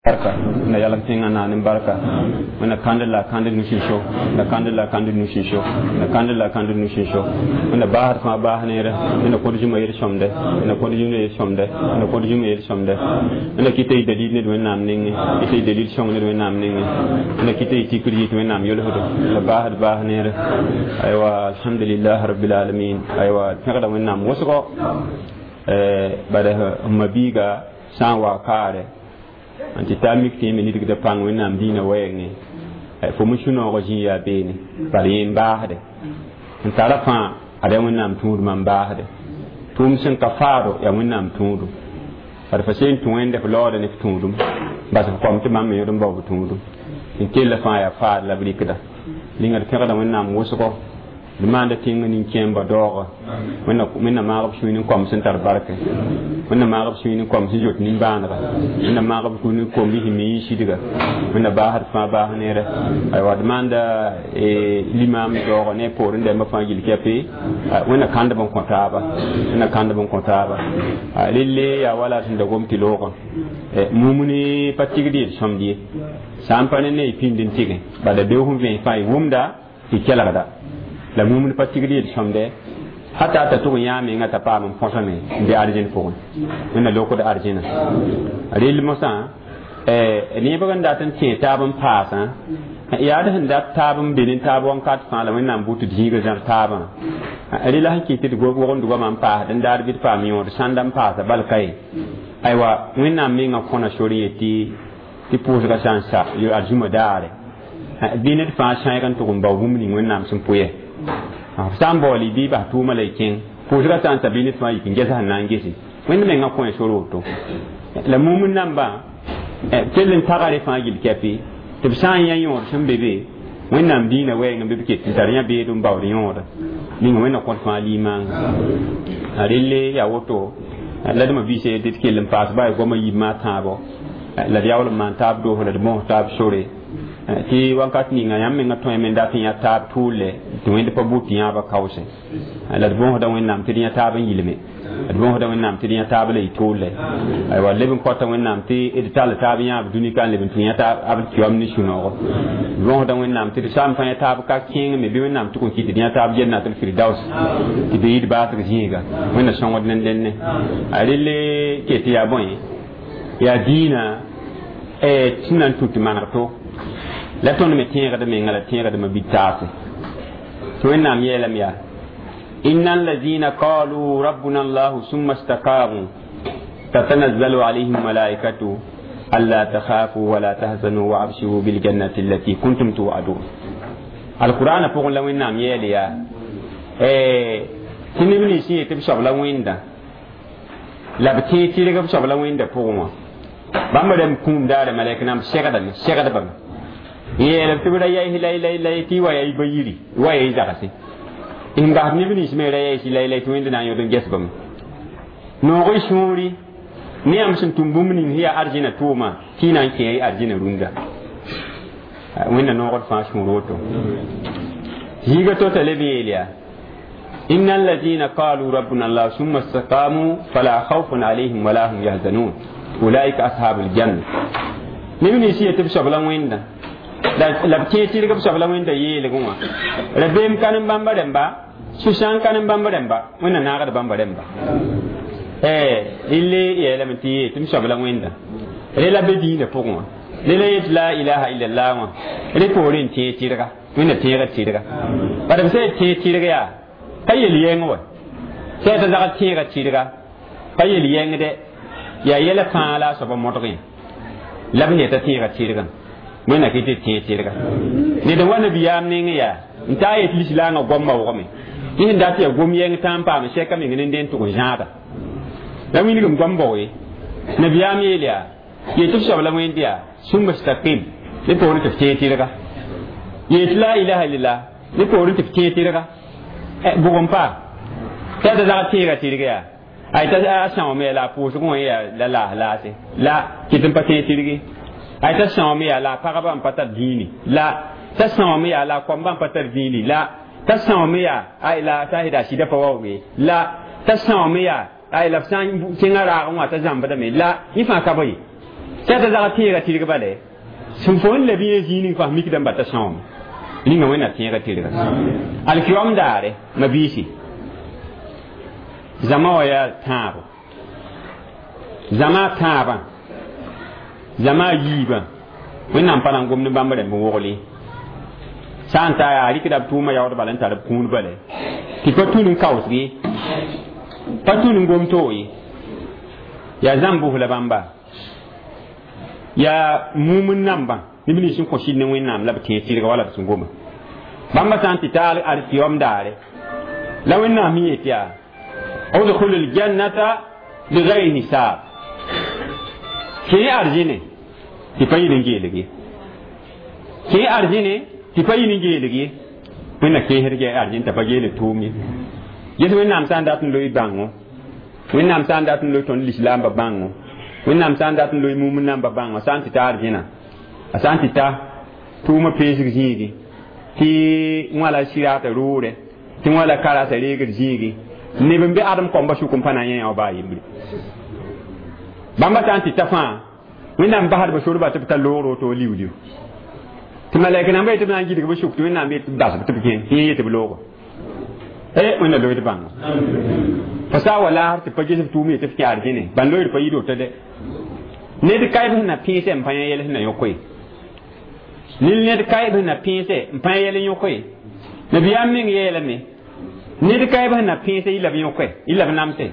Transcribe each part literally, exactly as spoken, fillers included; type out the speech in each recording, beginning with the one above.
Barka na yalam tẽngã naan n barka wẽnna kãnd la kãnd nu-sĩn-so na kãnd la kãnd nu-sĩn-so na kãnd la kãnd nu-sĩn-so wẽnna baasd fãa baas neere wẽnna kõt zũma yel-sõmde wẽnna kõt zũma yel-sõmde wẽnna kõt zũma yel-sõmde wẽnna kɩta y dalil ned wẽnnaam nengẽ kɩta y dalil sõng ned wẽnnaam nengẽ wẽnna kɩta y tikr yit wẽnnaam yolsdo la baasd baas neere aywa alhamdulillah rabbil alamin aywa pẽgda wẽnnaam wʋsgo bala m mabiiga sã n wa kaare n tɩ taa mik tɩ yẽ me nidgda pãng wẽnnaam diinã wɛɛngẽ fo me sũ-noogã zĩ yaa beene bala yẽ n baasde n tara fãa ad yaa wẽnnaam tũudmã n baasde tʋʋm sẽn ka faado yaa wẽnnaam tũudum bad fa seen tũ wẽnde f laooda ne f tũudum bas f kom tɩ bãmb me yõd n bao b tũudum n kella fãa yaa faad la b rɩkda ninga d pẽgda wẽnnaam wʋsgo d maanda tẽngã nin-kẽemba daooga wẽnna maag b sũy ne kom sẽn tar barke wẽnna maag b sũy ne kom sẽn zoet nimbãanega wẽnna maag b ne kom sẽn mi sidga wẽnna baasd fãa baas neere aywa d maanda limaam daooga ne poorẽ dãmbã fãa gill kɛpɩ wẽnna kãndb n kõ taaba wẽnna kãndb n kõ taaba relle yaa wala sẽn da gom tɩ loogã mumni pa tigd yel sõmd ye sã n pa ne ne y pĩnd n tɩgẽ bala beoog sẽn vẽes fãa y wʋmda tɩ kelgda la mumd pa tigd yel sõmde hata t'a tʋg n yã menga t'a paam n põsame n be arzẽn pʋgẽ wẽnna lokd arzẽna rell mosã nebg n dat n tẽ taab n paasã yaa d sẽn dat taab n be ne taab wãnkat fãa la wẽnnaam bʋ tɩ d zĩiga zãr taabã rela sẽn kɩt tɩ d wogend goamã n paasd n daar bɩ d paam yõod sãnda n paasa bal ka ye aywa wẽnnaam mengã kõna sor yetɩ tɩ pʋʋsga sã n sa arzũma daare bɩ ned fãa sãeeg n tʋg n bao bũmb ning wẽnnaam sẽn pʋyɛ f sã n baool y bɩ bas tʋʋmã la y kẽng pʋʋsga sã n sa bɩ ned fãa yik n ges sẽn na n gese wẽnd mengã kõ sor woto la mumd nambã kell n tagare fãa gill kɛpɩ tɩ b sã n yã yõod sẽn be be wẽnnaam diinã wɛɛng n be b ket n tar yã beed n baood yõoda ninga wẽnna kõt fãa limaanga a relle yaa woto la d ma biise tɩ d kell n paas baa goamã yiibmã tãabo la d yaool n maan taab doos la d mos taab sore tɩ wakat ninga yãmb menga tõeme n dat n yã taab tʋʋle tɩ wẽnd pa bʋ tɩ yãaba kaoose la d bõosda wẽnnaam tɩ d yã taab n yilme d bõosda wẽnnaam tɩ d yã taab la y tʋʋle aywa leb n kõta wẽnnaam tɩ d tall taab yãab dũni ka n leb n tũ yã taab b kiom ne sũ-noogo d bõosda wẽnnaam tɩ d sã n pa yã taab ka kẽeng me bɩ wẽnnaam tʋg n kɩt d yã taab jannatul firdaus tɩ be yid baasg zĩiga wẽnna sõngd ne dẽnne a relle ket yaa bõe yaa diinã sẽn na n tũ tɩ maneg to la tõnd me tẽegd menga la tẽegdmã bɩ taase tɩ wẽnnaam yeelame yaa إن الذين قالوا ربنا الله ثم استقاموا تتنزل عليهم ملائكة ألا تخافوا ولا تحزنوا وأبشروا بالجنة التي كنتم توعدون القرآن pʋgẽ la wẽnnaam yeel yaa tɩ neb nins yet b soab la wẽnda la b tẽeg tɩrg b soab la wẽnda pʋgẽ wã bãmb rãmb kũum daare malɛk nam segdame segdbame yeelb tɩ b ra yaɩs lay lay lay tɩ y wa yaa y ba yiri wa yaa y zagse n bas neb nins me ra yaɩs lay lay tɩ wẽnd na n yõd n ges bame noog y sũuri ne yãmb sẽn tʋm bũmb ning yaa arzẽna tʋʋma tɩ y na n kẽ y arzẽna rũndã wẽnna noogd fãa sũur woto zĩiga to-t'a leb yeel yaa إن الذين قالوا ربنا الله ثم استقاموا فلا خوف عليهم ولا هم يحزنون أولئك أصحاب الجنة neb nins yetɩ b soab la wẽnda la b tẽeg tɩrg b soab la wẽnda yeelgẽ wã rabeem ka ne bãmba rẽmba sũ-sãang ka ne bãmb rẽmba wẽnna naagd bãmba rẽmba relle yeelame tɩ yee tɩ m soab la wẽnda re la be diinã pʋgẽ wã re la yet la ilaha illallah wã re poorẽ n tẽeg tɩrga wẽnna tẽegd tɩrga bad b sã yet tẽeg tɩrg yaa pa yel yɛng wa sã t'a zagd tẽega tɩrga pa yel yɛngdɛ yaa yɛla fãa la a soaba modgẽ la b yeta tẽega tɩrgã wẽnna kɩ tɩ tẽeg tɩrga ned n wa nabiyaam neng yaa n taa yet lislaangã goamã wʋgme yẽ sẽn dat yaa gom yɛng tã n paam sɛka meng ne n tʋg n zãada la wilgem goam bao ye nabiyaam yeel yaa yetɩ b soab la wẽnd yaa summa staqim ne poorẽ tɩ f tẽeg tɩrga yet la ilaha illallah ne poorẽ tɩ f tẽeg tɩrga bʋg n paa t'a t'a zagd tẽega tɩrga yaa ay t'a a sãoome la a pʋʋsgẽ wã yaa la laas laase la kɩt n pa tẽeg tɩrge ay t'a sãoome yaa la a pagba n pa tar dĩini la t'a sãoome yaa la a koamba n pa tar dĩini la t'a sãoome yaa ay la t'a sɩda sɩda pa waoog la t'a sãoome yaa ay la b sã n kẽngã raagẽ wã t'a zãmbdame la yẽ fãa ka ba ye Sẽd zag tẽega tɩrg bale sẽn fo n leb yẽ zĩig ning fãa mikdame ba t'a sõame ninga wẽnna tẽega tɩrga alkiyom daare ma biisi zãma wã yaa tãabo zãma tãabã zãma yiibã wẽnnaam pa na n gomd bãmb rẽmb n wogl ye sã n ta yaa rɩkda b tʋʋmã yaood bala n tar b kũud bale tɩ pa tũn n kaoosg ye pa tũn n gom toog ye yaa zãmb bʋs la bãmba yaa mum n nambã neb nins sẽn kõ sɩd ne wẽnnaam la b tẽeg tɩrga wala b sẽn goma bãmba sã n tɩ taal alkiyom daare la wẽnnaam yet yaa udkhulu ljannata bigayri hisab kẽ arzĩne tɩ pa yɩl n geelg ye kẽ arzĩne tɩ pa yɩl n geelg ye wẽnna kẽesd arzĩn t'a pa geelg tʋʋm ye ges wẽnnaam sã n dat n loe bãngo wẽnnaam sã n dat n loe tõnd lislaambã bãngo wẽnnaam sã n dat n loe mum nambã bãngo sã n tɩ ta arzĩna a sã n tɩ ta tʋʋmã peesg zĩigi tɩ wãla sɩraata roore tɩ wãla karasa reegd zĩigi neb n be adem kõmba sʋk n pa na n yã wã baa yembre bãmba sã n tɩ ta fãa wẽnnaam basdba sorba tɩ b ta loogr woto liu-liu tɩ malɛk namba yetɩ b na n gɩdg b sʋk tɩ wẽnnaam yet tɩ basb tɩ b kẽ tɩ yẽ yetɩ b loogo e wẽnna loeed bãngo fo saa wa laasr tɩ pa ges b tʋʋm yetɩ f kẽ arzẽne bãn loeed pa yɩd woto de ned kaɩb sẽn na pẽesɛ n pa yã yɛl sẽn na yõk ye ned kaɩb sẽn na pẽesɛ n pa yã yɛl n yõk ye nabiyaam meng yeelame ned kaɩb sẽn na pẽesɛ yɩ la b yõke yɩ la b namse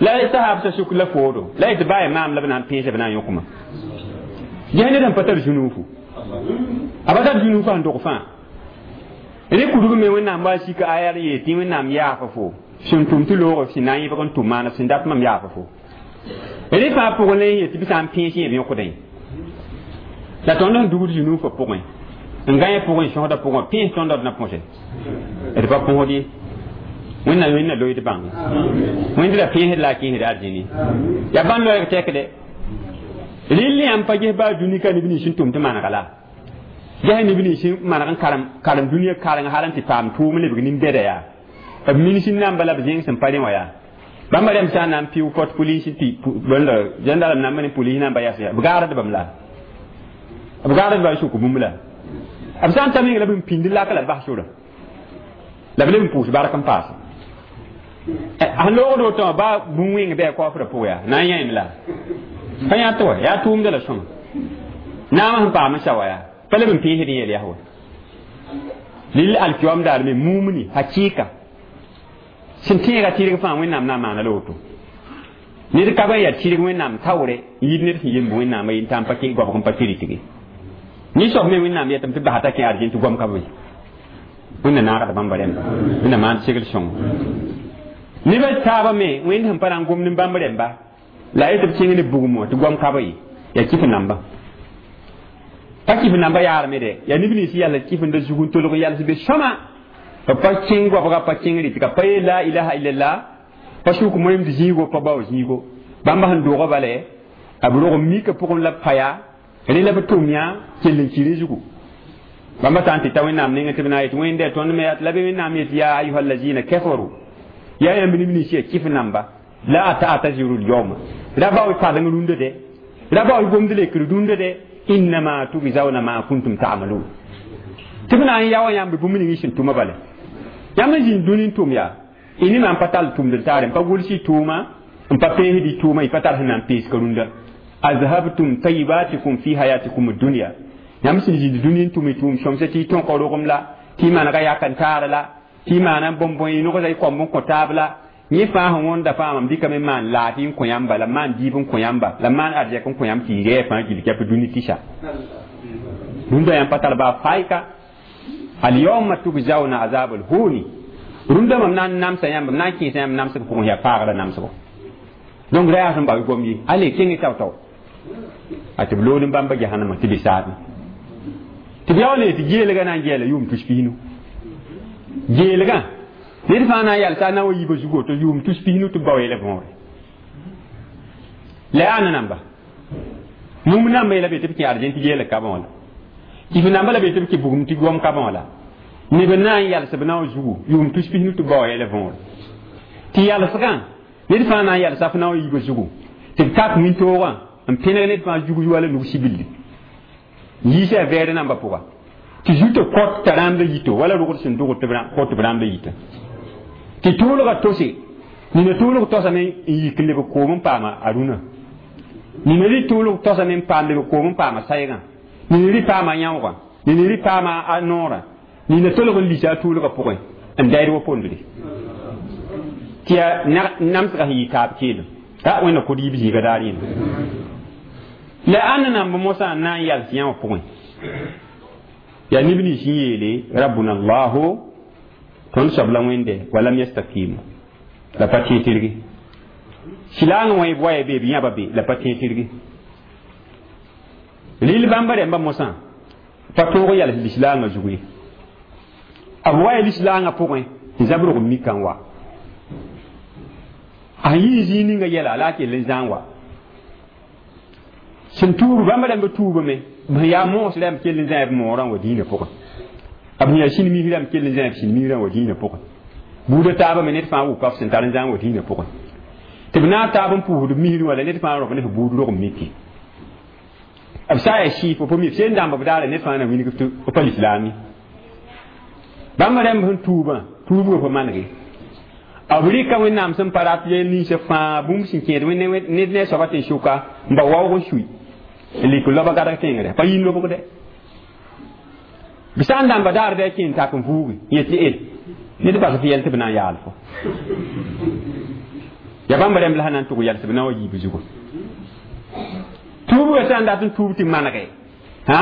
la sahaab sa suk la foodo la yetɩ baa maam la b na n pẽesɛ b na n yõkma ges ned sẽn pa tar zũnuufu a pa tar zũnuufu sẽn dog fãa rẽ kudg me wẽnnaam wa sika aya yeel tɩ wẽnnaam yaafa fo sẽn tʋm tɩ loog sẽn na n yẽbg n tʋm maana sẽn dat mam yaafa fo rẽ fãa pʋgẽ la yetɩ bɩ sã n pẽes yẽ b yõkdẽ la tõnd sẽn dugd zũnuufã pʋgẽ n gã pʋgẽ sõsdã pʋgẽ pẽes tõnd d na põse d pa põsd ye wẽnna wẽnna loeed bãngo wẽnd ra pẽesd la a kẽesd arzĩni yaa bãmb loɛɛg tɛkde rɩl yãmb pa ges baa dũni ka neb nins sẽn tʋm tɩ manega la ges neb nins sẽn maneg n karem karem dũniyã kareng hal n tɩ paam tʋʋm lebg nin-bɛda yaa b mins n namba la b zẽng sẽn pa rẽ wã yaa bãmba rẽmb sã n na n pɩʋ pot police tɩ bõnda gendarme namba ne police namba yas b gaardbame la b gaardba n sʋk bũmb la b sã n ta meng la b n pĩnd lak la b bas sora la b leb n pʋʋs bark n paase sẽn loogd woto wã baa bũn-wẽng bɩ a kaoofrã pʋgã yaa na n yãem la pa yã tɩ wa yaa tʋʋmda la sõma naamã sẽn paam n sa wa yaa pa leb n pẽesd n yeel yaa wa lil alkiyom daar me mumni hakika sẽn tẽega tɩrg fãa wẽnnaam na n maana la woto ned ka ba yaa tɩrg wẽnnaam taoore n yit ned sẽn yemb wẽnnaam n tã n pa kẽ goabg n pa tɩrɩtge nin-soab me wẽnnaam yetame tɩ basa t'a kẽ arzẽn tɩ goam ka be wẽnna naagd bãmba rẽmba wẽnna maan segl sõngo nebã taabã me wẽnd sẽn pa na n gomd n bãmb rẽmba la yetɩ b kẽng ne bugum wã tɩ goam ka be ye yaa kɩf namba pa kɩf namba yaarame de yaa neb nins yals kɩfenda zug n tolg yals be sõma b pa kẽng goabga pa kẽng rɩtga pa yeel la ilaha illallah pa sʋk moeemd zĩigo pa bao zĩigo bãmba sẽn doogã bale b rog n mika pʋgẽ la b pa yaa rẽ la b tʋm yã kell n ki rẽ zugu bãmba sã n tɩ ta wẽnnaam nengẽ tɩ b na n yet wẽnde tõnd me la bɩ wẽnnaam yet ya ayuha allazina kafaru yaa yãmb neb nins yaa kɩf namba la ta'taziru lyawma ra bao padeng rũndã de ra bao gomd lekr rũndã de innama tujzauna ma kuntum ta'malun tɩ b na n yaoã yãmb bũmb ning sẽn tʋma bala yãmb n zĩnd dũni n tʋm yaa y nimã n pa tall tʋmd n taare n pa gʋls y tʋʋma n pa peesd y tʋʋma y pa tar sẽn na n pees ka rũndã azhabtum tayibatikum fi hayatikum dunya yãmb sẽn zĩnd dũni n tʋm y tʋʋm sõmsã tɩ y tõka rogem la tɩ y manega yak n taar la tɩ y maana bõn-bõe y nogsa y kõmb n kõ taab la yẽ fãa sẽn wõnda fãa mam dɩkame n maan laafɩ n kõ yãmba la maan dɩɩb n kõ yãmba la maan arzɛk n kõ yãmb tɩ y rɛɛ fãa gill kɛp dũni tɩsa rũndã yãmb pa tar baa faɩka alyawma tujzauna azab alhuni rũndã mam na n namsa yãmb m na n kẽesa yãmb namsg pʋgẽ yaa paagrã namsgo donc ra yaa sẽn bao gom ye ale kẽng tao-tao a tɩ b lood n bãmba jahannama tɩ be saabẽ tɩ b yaool tɩ geelgã na n gɛɛla yʋʋm tus pisnu geelgã ned fãa na n yalsa a na wa yiibã zugo tɩ yʋʋm tus pisnu tɩ b bao yɛla võore la yaa namba mum namba yɛla be tɩ b kẽ arzẽn tɩ geelg ka bã wã la kɩf namba la be tɩ b kẽ bugum tɩ goam ka bã wã la neb n na n yals b na wa zugu yʋʋm tus pisnu tɩ b bao yɛla võore tɩ yalsgã ned fãa na n yalsa f na wa yiibã zugu tɩ b tak wĩntoogã n pẽneg ned fãa zug wala nug sibilli yiisa a vɛɛd nambã pʋga tɩ zuta kõt t'a rãmbda yito wala rogd sẽn dogd tɩ kõt b rãmbda yita tɩ tʋʋlgã tose nina tʋʋlg tosame n yik n leb koom n paama a rũnã nina rɩ tʋʋlg tosame n paam leb koom n paama saygã nina rɩ paama yãoogã nina rɩ paama a noorã nina tolg n lisa a tʋʋlgã pʋgẽ n dayd wa pondre tɩ yaa namsgã sẽn yɩ taab keelem a wẽnna kod yiib zĩiga daar yẽnda la ãnna namb mosã n na n yals yã wã pʋgẽ yaa neb nins n yeele rabbuna allahu tõnd soab la wẽnde walam yastakimu la pa tẽ tɩrge silaangã wã b waya be b yãba be la pa tẽ tɩrge rɩl bãmba rẽmba mosã pa tõog yals lislaangã zug ye b waya lislaangã pʋgẽ n zab rog n mika n wa a yɩ zĩig ninga yɛla la a kell n zãag wa sẽn tuub bãmba rãmba tuubame b sẽn yaa moos rãmb kell n zãe b moorã wa dĩinã pʋgẽ b sẽn yaa sĩn-mis rãmb kell n zãe b sĩn-mis rã wa dĩinã pʋgẽ buudã taabã me ned fãa wʋka f sẽn tar n zãag wa dĩinã pʋgẽ tɩ b naag taab n pʋʋsd b misrẽ wã la ned fãa rog ne f buud rog n miki b sã n yaa sɩɩf f mi b sẽn dãmb b daara ned fãa na wilg tɩ b pa lislaam ye bãmba rãmb sẽn tuubã tuubgã pa manege b rɩka wẽnnaam sẽn pa rat yel ninsã fãa bũmb sẽn kẽed ned ne a soaba tɩ n sʋka n ba waoog n sui n lik loba gadg tẽngre pa yĩn lobgde b sã n dãmba daar bɩ a kẽ n tak n vuugi yẽ tɩ e ned bas f yɛl tɩ b na n yaal fo ya bãmba rãmb la sã na n tʋg yɛls b na wa yiib zugu tuubgã sã n dat n tuub tɩ manege hã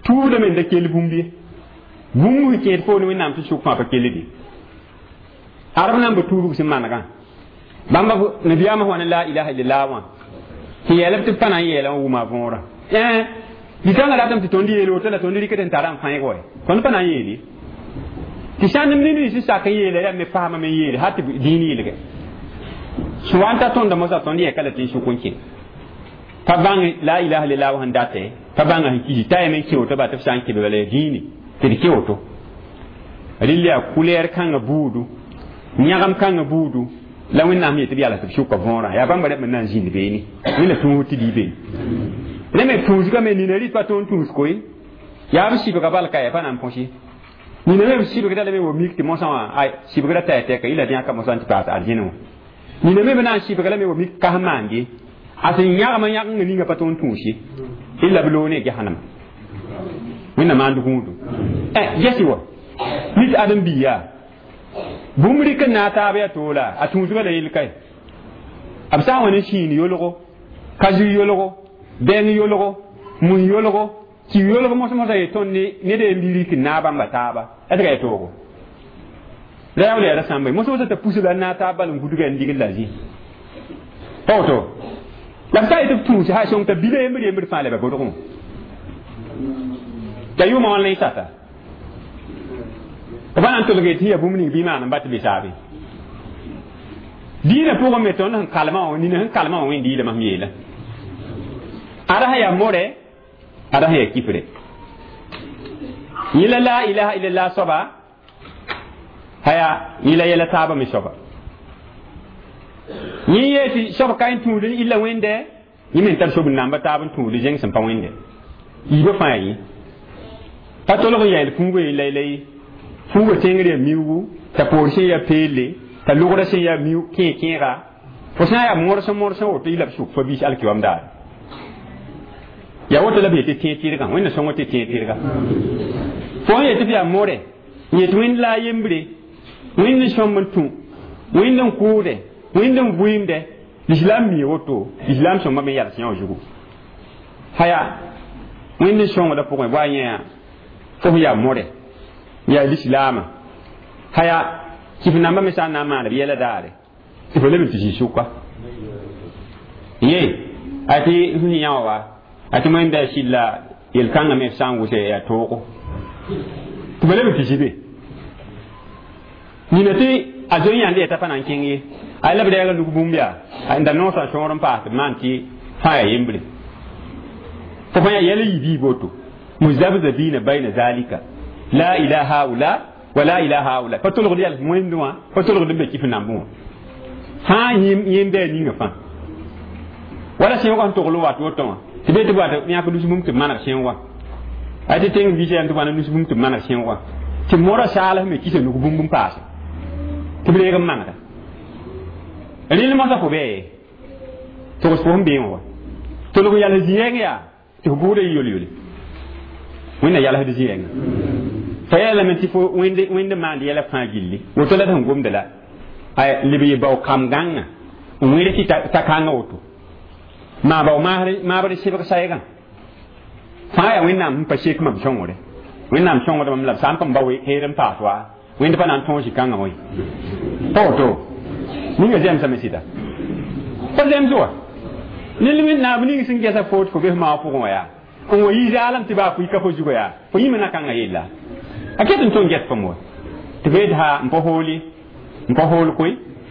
tuubdame n da kell bũmb ye bũmb sẽn kẽed foone wẽnnaam tɩ sʋk fãa pa kellde arab namba tuubg sẽn manegã bãmba nabiyaamã wã ne la ilaha illallah wã tɩ yeelb tɩ b pa na n yeelã wã wʋma võorã dikãngã ratame tɩ tõnd yeel woto la tõnd rɩkd n tara n fãeg wa tõnd pa na n yeele tɩ sã n neb nins sak n yeela rãmb me faamame n yeele hal tɩ dĩin yɩlge sẽn wa n ta tõnda mosã tõnd yɛka la tɩ n sʋk n kẽ pa bãng la ilaha illallah wã sẽn datɛ pa bãnga sẽn kisi t'a yame n kẽ woto ba tɩ b sã n kɩ bala yaa dĩine tɩ d kẽ woto rɩl yaa kulɛɛr kãngã buudu yãgem kãngã buudu la wẽnnaam yetɩ b yals tɩ b sʋka võorã yaa bãmba rãmb n na n zĩnd beene wẽnna tũus tɩ dɩ beene rẽ me tũusgame nina rɩt pa tõnd tũus koe yaa b sɩbga bal ka ya pa na n põs ye nina me b sɩbgda lame wa mik tɩ mosã wã ay sɩbgra t'a ya tɛka yɩla dẽaka mosã tɩ paas arzẽne wã nina me b na n sɩbga lame wa mik kas maand ye a sẽn yãgma yãgengã ninga pa tõnd tũus ye illa b loog ne gesanema wẽnna maand gũudu gɛsɩ wa nit ãdem-biiga bũmb rɩk n naag taab yaa toola a tũusgã la yel kae b sã n wa ne sĩin yolgo ka zʋ yolgo bɛng yolgo mun yolgo tɩ yolg mos-mosã ye tõnd ned n bi rɩk n naag bãmba taaba est yaa toogo la yaa wala yaa ra sãmba mos-mosã t'a pus la n naag taab bal n gudga n ligd la zĩ pa woto la b sã n yetɩ b tũus ha sõng t'a bila yembr yembr fãa la ba bodgẽ t'a yʋʋmã wãn la y sata b pa na n tolg tɩ yaa bũmb ning bɩ maan n bat be saabe dĩinã pʋgẽ me tõnd sẽn kalmã wã nina sẽn kalmã wã wẽnd yɩlame sẽm yeela ada sẽn yaa more ada sẽn yaa kifre yẽ la la ilaha illallah soaba haya yẽ la yɛla taabã me soaba yẽ yee tɩ soab ka n tũud n illa wẽnde yẽ me n tar sob n namba taab n tũud zẽng sẽn pa wẽnde yiibã fãa yaa yẽ pa tolg n yɛɛl fuugã ye laylay fuugã tẽngr yaa miuugu t'a poor sẽn yaa peelle t'a logrã sẽn yaa miu kẽe-kẽega fo sã n yaa morsẽ morsẽ woto yɩ la b sʋk fa biis alkiwam daare yaa woto la b yetɩ tẽeg tɩrgã wẽnna sõng tɩ tẽeg tɩrga fo n yetɩ f yaa more n yet wẽnd la a yembre wẽnd n sõmb n tũ wẽnd n kʋʋde wẽnd n vɩɩmde lislaam mii woto lislaam sõmba me yals yã zugu haya wẽnd n sõngda pʋgẽ wa yẽ fo sẽn yaa more yaa lislaamã haya kɩf nambã me sã n na n maan b yɛla daare tɩ fo leb n tɩ zĩ sʋka ye a tɩ sẽn yã wa a tɩ wẽnda sɩlla yel-kãngã me f sã n wʋsɛ yaa toogo tɩ fo leb n tɩ zĩ be nina tɩ a zoe yãnd yɛta pa na n kẽng ye a la b rɛɛga nug bũmb yaa n da noosã sõor n paas tɩ b maan tɩ fãa yaa yembre fo fã yaa yɛl n yi biib woto muzabzabina bayna zalika la ila haula wa la ila haula pa tolgd yɛls wẽnd wã pa tolgd n be kɩf nambẽ wã fãa yẽmb bɩ a ninga fãa Wala sẽoogã sẽn togl n wat woto wã tɩ be tɩ b wat yãk nus bũmb tɩ b maneg sẽoogã ay tɩ tẽng biisã yam tɩ b wa nus bũmb tɩ b maneg sẽoogã tɩ modã saals me kisa nug bũmb n paase tɩ b reeg n manega rẽnd mosã fo bee togs fo sẽn beẽ wã tolg yals zĩ-yɛng yaa tɩ fo bʋʋda yɩ yol-yole wẽnna yalsd zĩ-yɛnga fa yeelame tɩ fo wẽnd maand yɛla fãa gilli woto la d sẽn gomda la leb yɩ bao kam gãngã n wẽd tɩ ta kãngã woto maa bao maabr sɩbg saygã fãa yaa wẽnnaam sẽn pa sek mam sõngre wẽnnaam sõngd mam la b sã n pa ba heer n paas wa wẽnd pa na n tõog zĩ-kãngã wã pa woto ninga zemsame sɩda pa zems wa nel wẽnnaam ning sẽn gɛsa foot fo bes maag pʋgẽ wã yaa n wa yi zaalem tɩ baa fo yika fo zugã yaa fo yĩma na kãngã yella a ket n tõe n ges fam wa tɩ f ha n pa hooli n pa hool koe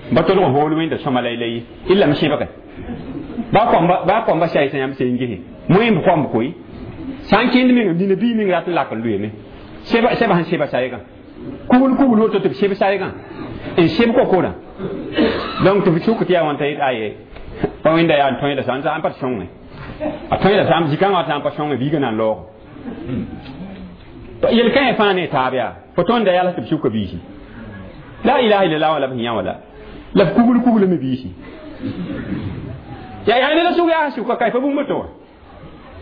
n pa tolg n hool wẽnda sõma la la ye illa m sẽbge baa koamba saɩsã yãmb sẽn gese moẽmb koamb koe sã n kẽnd meng dĩnã bii meng rat n lak n lʋɩme sẽba sẽn sẽba saygã kugl kugl woto tɩ b sẽb saygã n sẽb kokorã donc tɩ f sʋk tɩ yaa wãn t'a yet aye pa wẽnda yaa n tõeda sã n pa sõnge a tõeda sã zĩ-kãngã wa sã n pa sõnge biigã na n laoogo yel-kãe fãa ne taab yaa fo tõnda yals tɩ b sʋka biisi la ilaha illallah wã la b sẽn yã wã la la b kugl kuglame biisi yaa yaa ne la sʋk yaa sʋka ka pa bũmb to wã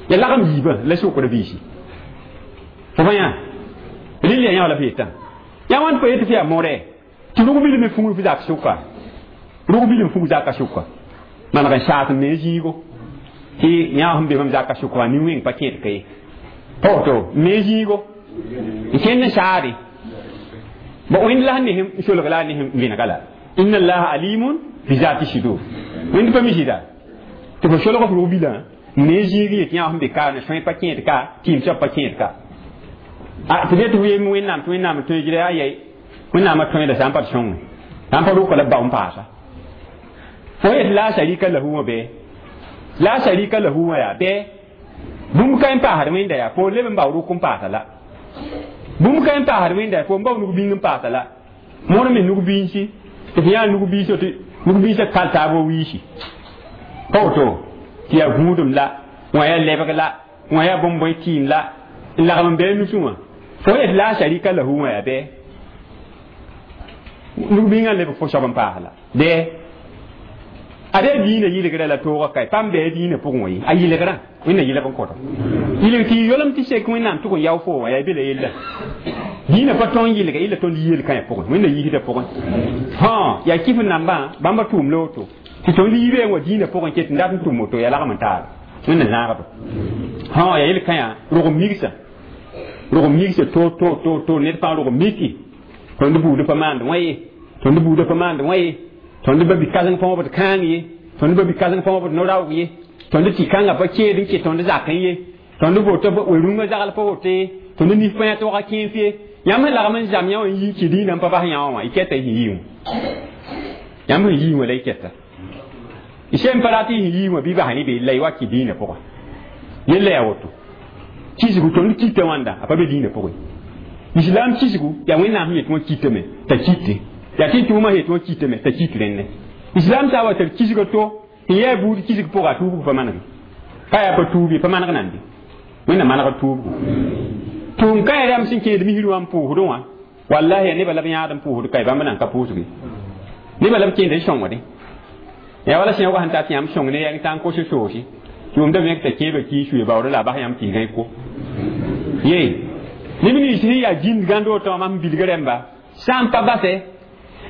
ya lagem yiibã la sʋkd biisi fo pa yã rɩl yaa yã wã la f yetã yaa wãn pa yetɩ f yaa modɛ tɩ rug bilme fugr f zak sʋka rug bilm fug zaka sʋka maneg n saas n me zĩigo tɩ yã sẽn be mam zaka sʋka wã nin-wẽng pa kẽed ka ye pa woto n me zĩigo n kẽnd n saade bon wẽnd la sẽn ne n solg la a ne n vẽnega la inna allaha alimun bi zati sudur wẽnd pa mi sɩda tɩ fo solg f rug bilã n ne zĩig yet yã sẽn be ka ne sõe pa kẽed ka tɩɩm soab pa kẽed ka tɩ be tɩ f yem wẽnnaam tɩ wẽnnaam tõe gɩra yaa yɛi wẽnnaamã tõeda sã n pa sõnge sã n pa rʋka la b bao n paasa fo yet la sharika lahu wã bɩ la sharika lahu wã yaa bɩ bũmb ka n paasd wẽnda yaa fo leb n bao rʋk n paasa la bũmb ka n paasd wẽnda yaa fo n bao nug bĩng n paasa la mõr me nug biinsi tɩ f yã nug biis tɩ nug biisã kal taab wa wiisi pa woto tɩ yaa gũudum la wã yaa lebg la wã yaa bõn-bõe tɩɩm la n lagm n bɩ nusẽ wã fo yet la sharika lahu wã yaa bɩ nug bĩngã lebg fo soab n paas la bɩ ada diinã yɩlgrã la toogã kae pãmb bɩ diinã pʋgẽ wã ye a yɩlgrã wẽnna yɩlg n kõta yɩlg tɩ yolem tɩ sek wẽnnaam tʋg n yao fo wã yaa be la yella diinã pa tõn yɩlga yella tõnd yel-kãyã pʋgẽ wẽnna yiisdã pʋgẽ hã yaa kɩf nambã bãmba tʋʋm la woto tɩ tõnd yiibã wã diinã pʋgẽ ket n dat n tʋm woto yaa lagm n taaba wẽnna zãagba hã yaa yel-kãyã rog migsa rog migsa to to to to ned fãa rog miki tõnd buudã pa maand wã ye tõnd buudã pa maand wã ye tõnd ba bi-kãseng pa wãbd kãang ye tõnd ba bi-kãseng pa wãbd no-raoog ye tõnd tɩ kãngã pa keed n ket tõnd zakẽ ye tõnd woto we-rũngã zagl pa woto ye tõnd nif pa yã tɩ waga kẽef ye yãmb sẽn lagm n zam yã wã n yi n kɩ dĩinã n pa bas yã wã wã y kɛta y sẽn yii wã yãmb sẽn yii wã la y kɛta y sẽn pa rat y sẽn yii wã bɩ bas ne be la y wa kɩ dĩinã pʋgã yella yaa woto kisgu tõnd kita wãnda a pa be dĩinã pʋgẽ islam kisgu yaa wẽnnaam sẽn yet wã kitame t'a kite yaa tɩ tʋʋmã yet wã kitame t'a kit rẽnne islam sã wa tar kisg to n yaa buud kisg pʋga a tuubg pa manege pa yaa pa tuub ye pa maneg nande wẽnna manegd tuubgo tʋʋm ka rãmb sẽn kẽed misr wã n pʋʋsdẽ wã wallahi yaa nebã la b yãad n pʋʋsd ka bãmb nan ka pʋʋsge nebã la b kẽnd n sõngde yaa wala sẽoogã sẽn tat yãmb sõng ne yãng tã n kos soosi tʋʋmda vẽk t'a kẽebã kii suye baood la a bas yãmb tɩ y ko ye neb nins sẽn yaa gĩnd gãnd woto wã mam bilg rẽmba sã n pa basɛ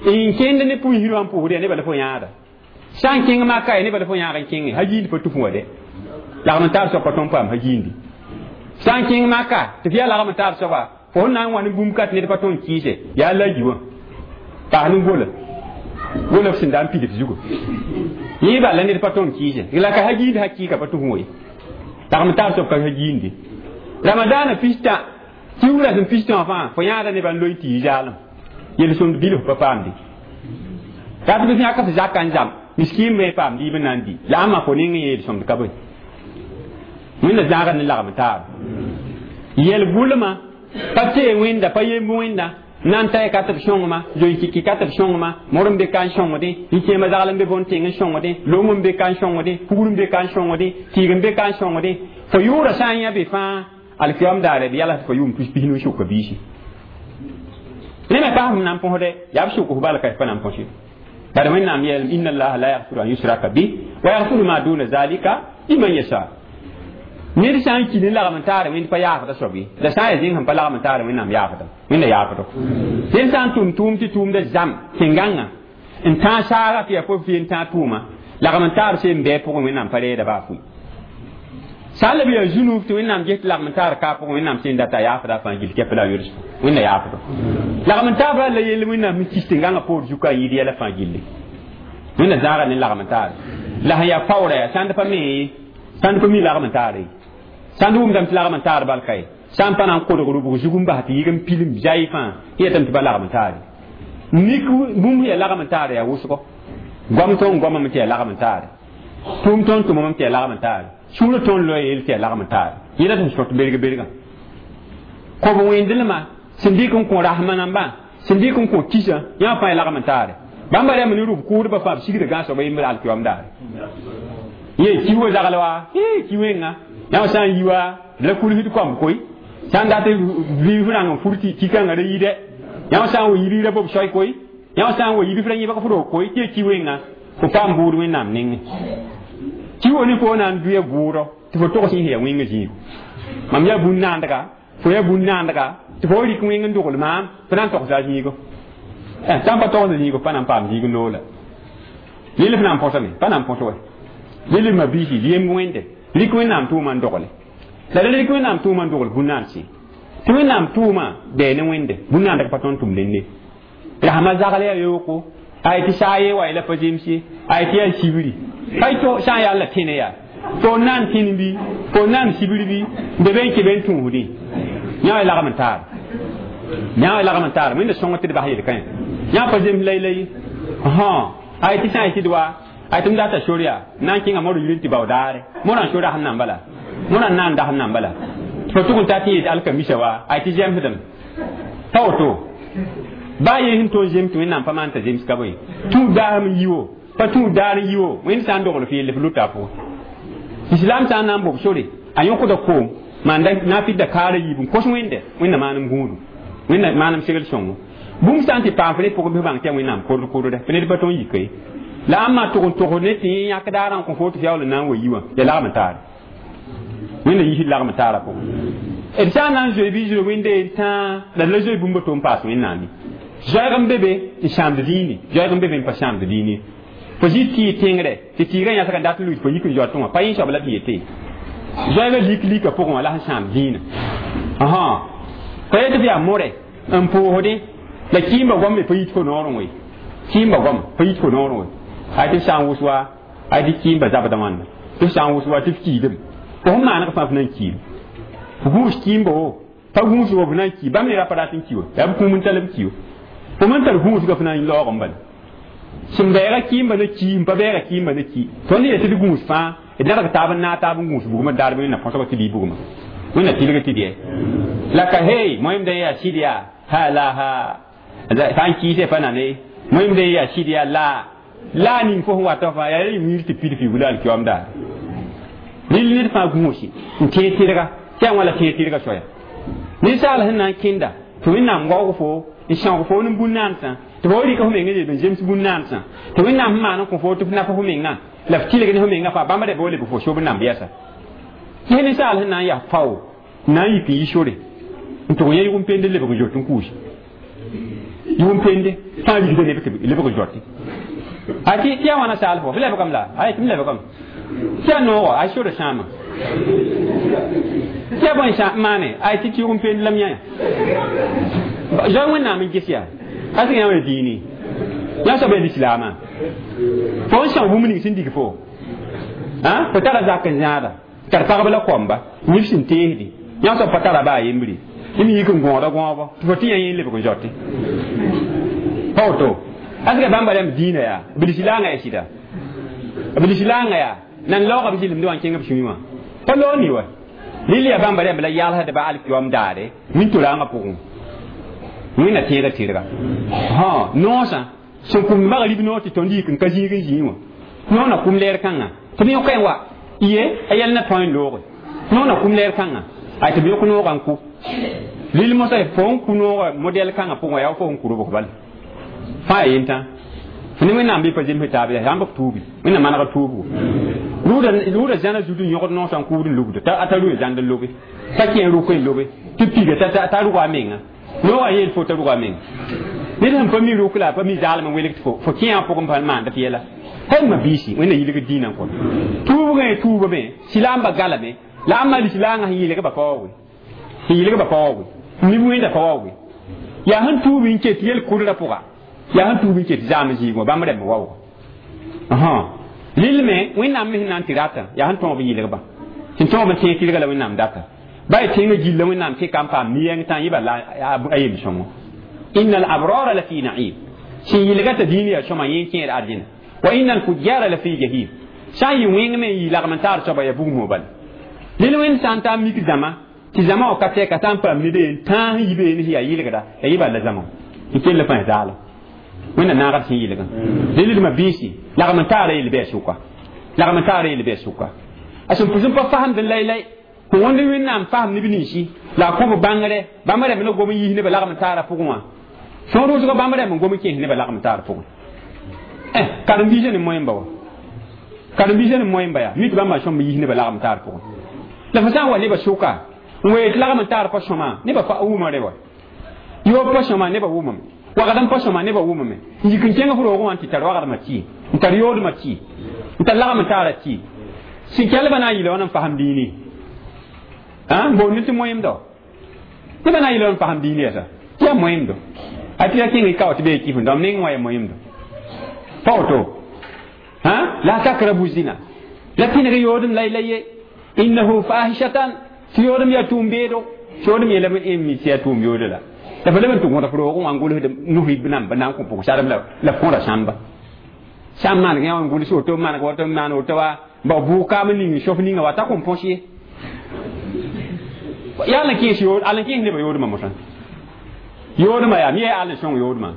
n kẽnd ne pʋɩsr wã n pʋʋsd yaa nebã la fo yãada sã n kẽng maka ya nebã la fo yãag n kẽnge ha giindi pa tʋf wã dɛ lagm n taab soab pa tõn paam ha giindi sã n kẽng maka tɩ f yaa lagm n taab soaba fo sẽn na n wa ne bũmb ka tɩ ned pa tõn kɩɩse yaa la yi wã paas ne gola gola f sẽn da n pid f zugu yẽ bala ned pa tõn kɩɩse la ka ha giindi ha kɩɩka pa tʋf wã ye lagm n taab soab ka ha giindi ramadaana pista kiugra sẽn pistã wã fãa fo yãada nebã n loe tɩ yi zaalem yel-sõmd bilf pa paamde rat bɩ yãk f zaka n zam miskiin me paam diib n na n di la ãmba fo ning n yeel-sõmd ka bõe wẽnna zãagd ne lagm taab yɛl-gʋlmã pa tee wẽnda pa yemb wẽnda Nan tay ka tɩ b sõngma zoe-kiki ka tɩ b sõngma mor n be ka n sõngdẽ n kẽema zagl n be bõn-tẽng n sõngdẽ long n be ka n sõngdẽ kugr n be ka n sõngdẽ tɩɩg n be ka n sõngdẽ fo yʋʋra sã n yã be fãa alkiyam daare b yala tɩ fo yʋʋm tus pis-nu sʋka biisi ne me paas m na n põsde yaa b sʋk f bala ka pa na n põs ye bala Wẽnnaam yeelame inna allaha la yaghfiru an yusraka bih wa yaghfiru ma duna zalika liman yasha ned sã n ki ne lagm n taare Wẽnd pa yaafda soab ye la sã n yaa zĩng sẽn pa lagm n taare Wẽnnaam yaafda Wẽnda yaafdo ned sã n tʋm tʋʋm tɩ tʋʋmda zãm tẽn-gãngã n tãag saaga tɩ yaa fo fɩ n tãag tʋʋma lagm n taar seen bɩ pʋgẽ Wẽnnaam pa reeda baa fʋɩ sã n la b yaa zũnug tɩ Wẽnnaam ges tɩ lagm n taar ka pʋgẽ Wẽnnaam sẽn data yaafda fãa gill kɛp la a yʋls Wẽnda yaafdo lagm n taabra la yell Wẽnnaam sẽn kis tẽn-gãngã poor zuka n yɩɩd yɛla fãa gilli Wẽnda zãaga ne lagm n taare la sẽn yaa paoora yaa sãnd pa me sãnd pa mi lagm n taare sãnd wʋmdame tɩ lagm n taar bal ka ye sã n pa na n kodg rʋbg zug n bas tɩ yɩg n pilim zay fãa yetame tɩ pa lagm n taare mik bũmb yaa lagm n taare yaa wʋsgo goam tõnd goamame tɩ yaa lagm n taare tʋʋm tõnd tʋmame tɩ yaa lagm n taare sũurã tõnd loe yel tɩ yaa lagm n taare yẽla sẽn sõt berg bergã kob wẽndlmã sẽn dɩk n kõ rasmã nambã sẽn dɩk n kõ kisã yã fãa yaa lagm n taare bãmba rãmb ne rʋb kʋʋdbã fãa b sigda gãas soaba yembr alkiyoam daare ye ki wa zagl wa ki wẽnga yã sã n yi wa la kulsd kõmb koy sã n dat vɩɩf rãng n fur tɩ kikãngã ra yɩɩdɛ yã sã n wa yibgra bob soay koy yã sã n wa yibf ra yẽbg f roog koy tɩ ya ki wẽnga fo paam bʋʋd Wẽnnaam nengẽ ki wo ne fo na n dʋya bʋʋdɔ tɩ fo togs yẽ yaa wẽngã zĩigu mam yaa bũn-naandga fo yaa bũn-naandga tɩ fo rɩk wẽng n dogl maam fo na n togsa a zĩigo sã n pa togsd zĩigo pa na n paam zĩig loola lel f na n põsame pa na n põs wa lel ma biisi yemb wẽnde rɩk Wẽnnaam tʋʋma n dogle la la rɩk Wẽnnaam tʋʋma n dogl bũn-naan-sẽ tɩ Wẽnnaam tʋʋma bɛɛ ne wẽnde bũn-naandg pa tõnd tʋm dẽnde rasmã zagl yaa yooko ay tɩ saa ye wa la pa zems ye ay tɩ yaa sibri pa to sã n yaa la tẽne yaa fo n na n tẽn bɩ fo n na n sibr bɩ n be be n kẽ be n tũusdẽ yã wa lagm n taar yã wa lagm n taar Wẽnda sõng tɩ d bas yel-kãe yã pa zems lai-lai ay tɩ sã n tɩ d wa ay tɩ m data sor yaa na n kẽnga mor yir tɩ bao daare morã n so rasem nan bala morã n na n dasem nan bala fo tʋg n ta tɩ yet alkamisa wa ay tɩ zemsdem pa woto baa ye sẽn tõnd zems tɩ Wẽnnaam pa maan t'a zems ka bõe tũud daasem n yi wo pa tũud daar n yi wo Wẽnd sã n dogl f yelle f luta a pʋgẽ islam sã n na n bob sore a yõkda koom maan na n fɩdda kaara yiib n kos Wẽnde Wẽnda maanem gũudu Wẽnda maanem segl sõngo bũmb sã n tɩ paam f ne pʋgẽ bɩ bãng tɩ yaa Wẽnnaam kord kordɛ fo ned pa tõnd yika ye la ãmba tʋg n togs ne tɩ yãk daarã n kõ fo tɩ f yaool n na n wa yi wã yaa lagm n taare Wẽnda yisd lagm n taara pʋgẽ d sã n na n zoe bɩ zoe Wẽnde n tãa la d la zoe bũmb tʋ n paas Wẽnnaam ye zoɛɛg n be be n sãamd dĩini zoɛɛg n be be n pa sãamd dĩini fo zĩ tɩ tẽngre tɩ tɩɩgã yãsg n dat n luit fo yik n zoa tʋ wã pa yẽ soab la tɩ yete zoɛɛgã lik lika pʋgẽ wã la sẽn sãam dĩinã pa yetɩ f yaa more n pʋʋsdẽ la kɩɩmba goam me pa yit fo noorẽ we kɩɩmba goam pa yit fo noorẽ we ay tɩ sã n wʋs wa ay tɩ kɩɩmba zabda wãnda tɩ f sã n wʋs wa tɩ f kiidem fo sẽn maaneg fãa f na n kiim f gũus kɩɩmba wo pa gũus wo f na n ki bãmb ne ra pa rat n ki wa yaa b kũum n tall b ki wa fo man tar gũusga f na n laoog n bala sẽn bɛɛga kɩɩmba na ki n pa bɛɛga kɩɩmba na ki tõnd yetɩ d gũus fãa d nadg taab n naag taab n gũus bugmã daar Wẽnna põsg tɩ bɩ bugmã Wẽnna tilg tɩ dɩ la ka hey moẽmda yaa sɩd yaa ha la ha sã n kɩɩse pa nane moẽmda yaa sɩd yaa la la ning fo sẽn wata fãa yaa y wiir tɩ pid fɩ wula alkiyoam daare rɩl ned fãa gũusi n tẽeg tɩrga tɩ yaa wã la tẽeg tɩrga soaya ninsaal sẽn na n kẽnda tɩ Wẽnnaam waoog fo n sãoog fo ne bũn-naansã tɩ fo rɩk f mengã yel n zems bũn-naansã tɩ Wẽnnaam sẽn maan n kõ fo tɩ f naf f mengã la f tɩlg ne f mengã fãa bãmb ra bɩ lebg fo sob namb yɛsa tɩ ninsaal sẽn na n yaa fao n na n yik n yi sore n tʋg yẽ yʋgm pende lebg n zot n kuusi yʋgm pende fãa rigda neb tɩ lebg n zote a tɩ yaa wãna saal fo f lebgame la ay tɩ m lebgame tɩ yaa noogo ay sora sãama tɩ yaa bõe maane ay tɩ tɩ yʋgm pende la m yã zoe Wẽnnaam n ges yaa a sẽn yã wã diini yã soab yaa lislaamã fo n são bũmb ning sẽn dig fo fo tara zak n zãada tar pagb la koamba nif sẽn teesdi yã soab pa tara baa yembre m yik n gõoda gõobo tɩ fo tɩ yã yẽ lebg n zote pa woto asga bãmba rãmb dĩinã yaa b lislaangã yaa sɩda b lislaangã yaa nan laoogã b zɩlemdẽ wã n kẽng b sũyẽ wã pa loog ni wa lil yaa bãmba rãmb la yalsdba alkiyoam daare wĩnto-rãangã pʋgẽ wẽnna tẽega tɩrga ha noosã sẽn kũmd maga rib noor tɩ tõnd yik n ka zĩig n zĩig wã noor na kum leer kãngã tɩ b yõka wa ye a yɛl na tõe n looge noor na kum leer kãngã ay tɩ b yõk noogã n ku lil mosã fo n ku noogã modɛl kãngã pʋgẽ yaa fo n ku robg bala fãa yaa yentã fo ne wẽnnaam bɩ pa zems taab yaa sãn b tuubi wẽnnaam maneg tuubgo rʋʋda zãna zut n yõgd noosã n kuud n lugda t'a rʋ zãnd n lobe t'a kẽ rʋk n lobe tɩ piga t'a rʋga a menga noogã yeel fo t'a rʋga a menga ned sẽn pa mi rʋk la a pa mi zaalem n welg tɩ fo fo kẽ pʋgẽ pa maanda tɩ yɛla hal ma biisi wẽnna yilg dĩinã n kõ tuubgã tuubame silaamba galame la a malisi laangã sẽn yɩlg ba pa waoge sẽn yɩlg ba pa waoge mi wẽnda pa waoge yaa sẽn tuub n ket yel-kʋdrã pʋga yaa sẽn tuub n ket zaam zĩig wã bãmb rɛmb waooga lil me wẽnnaam me sẽn na n tɩ ratã yaa sẽn tõog b yɩlgba sẽn tõog b tẽeg tɩrga la wẽnnaam data ba y tẽngã gilla wẽnnaam kɩka n paam mi-yɛng tã yɩba la a yel-sõngo inna al-abrara la fi na'im sẽn yɩlga t'a dĩin yaa sõma yẽ kẽer ardẽna wa inna al-fujjara la fi jahim sã n yɩ wẽng me n yɩ lagm n taar soaba yaa bugmo bala lil wẽnd sã n taa mik zãma tɩ zãma wã ka tɛka sã n paam ned n tãas n yi beene sẽn yaa yɩlgda yaa yɩ bala zãma n kell fãa zaala wẽnna naagd sẽn yɩlgã lildmã biisi lagm n taara yel-bɩa sʋka lagm n taara yel-bɩa sʋka a sẽn pʋs n pa fasemd n laylay fo wõnd wẽnnaam fasem neb ninsi la a kõ b bãngre bãmb rɛm la gom n yiis nebã lagm n taara pʋgẽ wã sõor wʋsgã bãmb rɛm n gom n kẽes nebã lagm n taar pʋgẽ karen-biisã ne moẽmba wa karen-biisã ne moẽmba yaa mi tɩ bãmba sõmb yiis nebã lagm n taar pʋgẽ la fo sã n wa nebã sʋka n wee tɩ lagm n taar pa sõma nebã pa wʋma re wa yoob pa sõma nebã wʋmame wagd n pa sõma nebã wʋmame n yik n kẽng f roogẽ wã n tɩ tar wagdmã tɩ n tar yoodmã tɩ n tar lagm n taara tɩ sẽn kelbã na n yɩla wãn n fasem dĩini n boond tɩ moẽmdo nebã na n yɩla wãn n fasem dĩini yɛsa tɩ yaa moẽmdo a tɩ ya kẽng y kao tɩ bee kɩf n dãmb neng wã yaa moẽmdo pa woto la takrabu zina la tẽneg yoodem la la ye innahu fahishatan tɩ yoodem yaa tʋʋm-beedo tɩ yoodem yeelame n mi tɩ yaa tʋʋm yoodo la la fa leb n tɩ gõd f roogẽ wã n gʋlsd nus namba na n kõ pʋg sarem la f kõda sãmba sã n maneg yã n gʋls woto maneg woto n maan woto wa ba bʋʋg kaam n ning sof ninga wa t'a kõn põs ye yaa la kẽes yood al n kẽes nebã yoodmã mosã yoodmã yaa mi yaa al n sõng yoodmã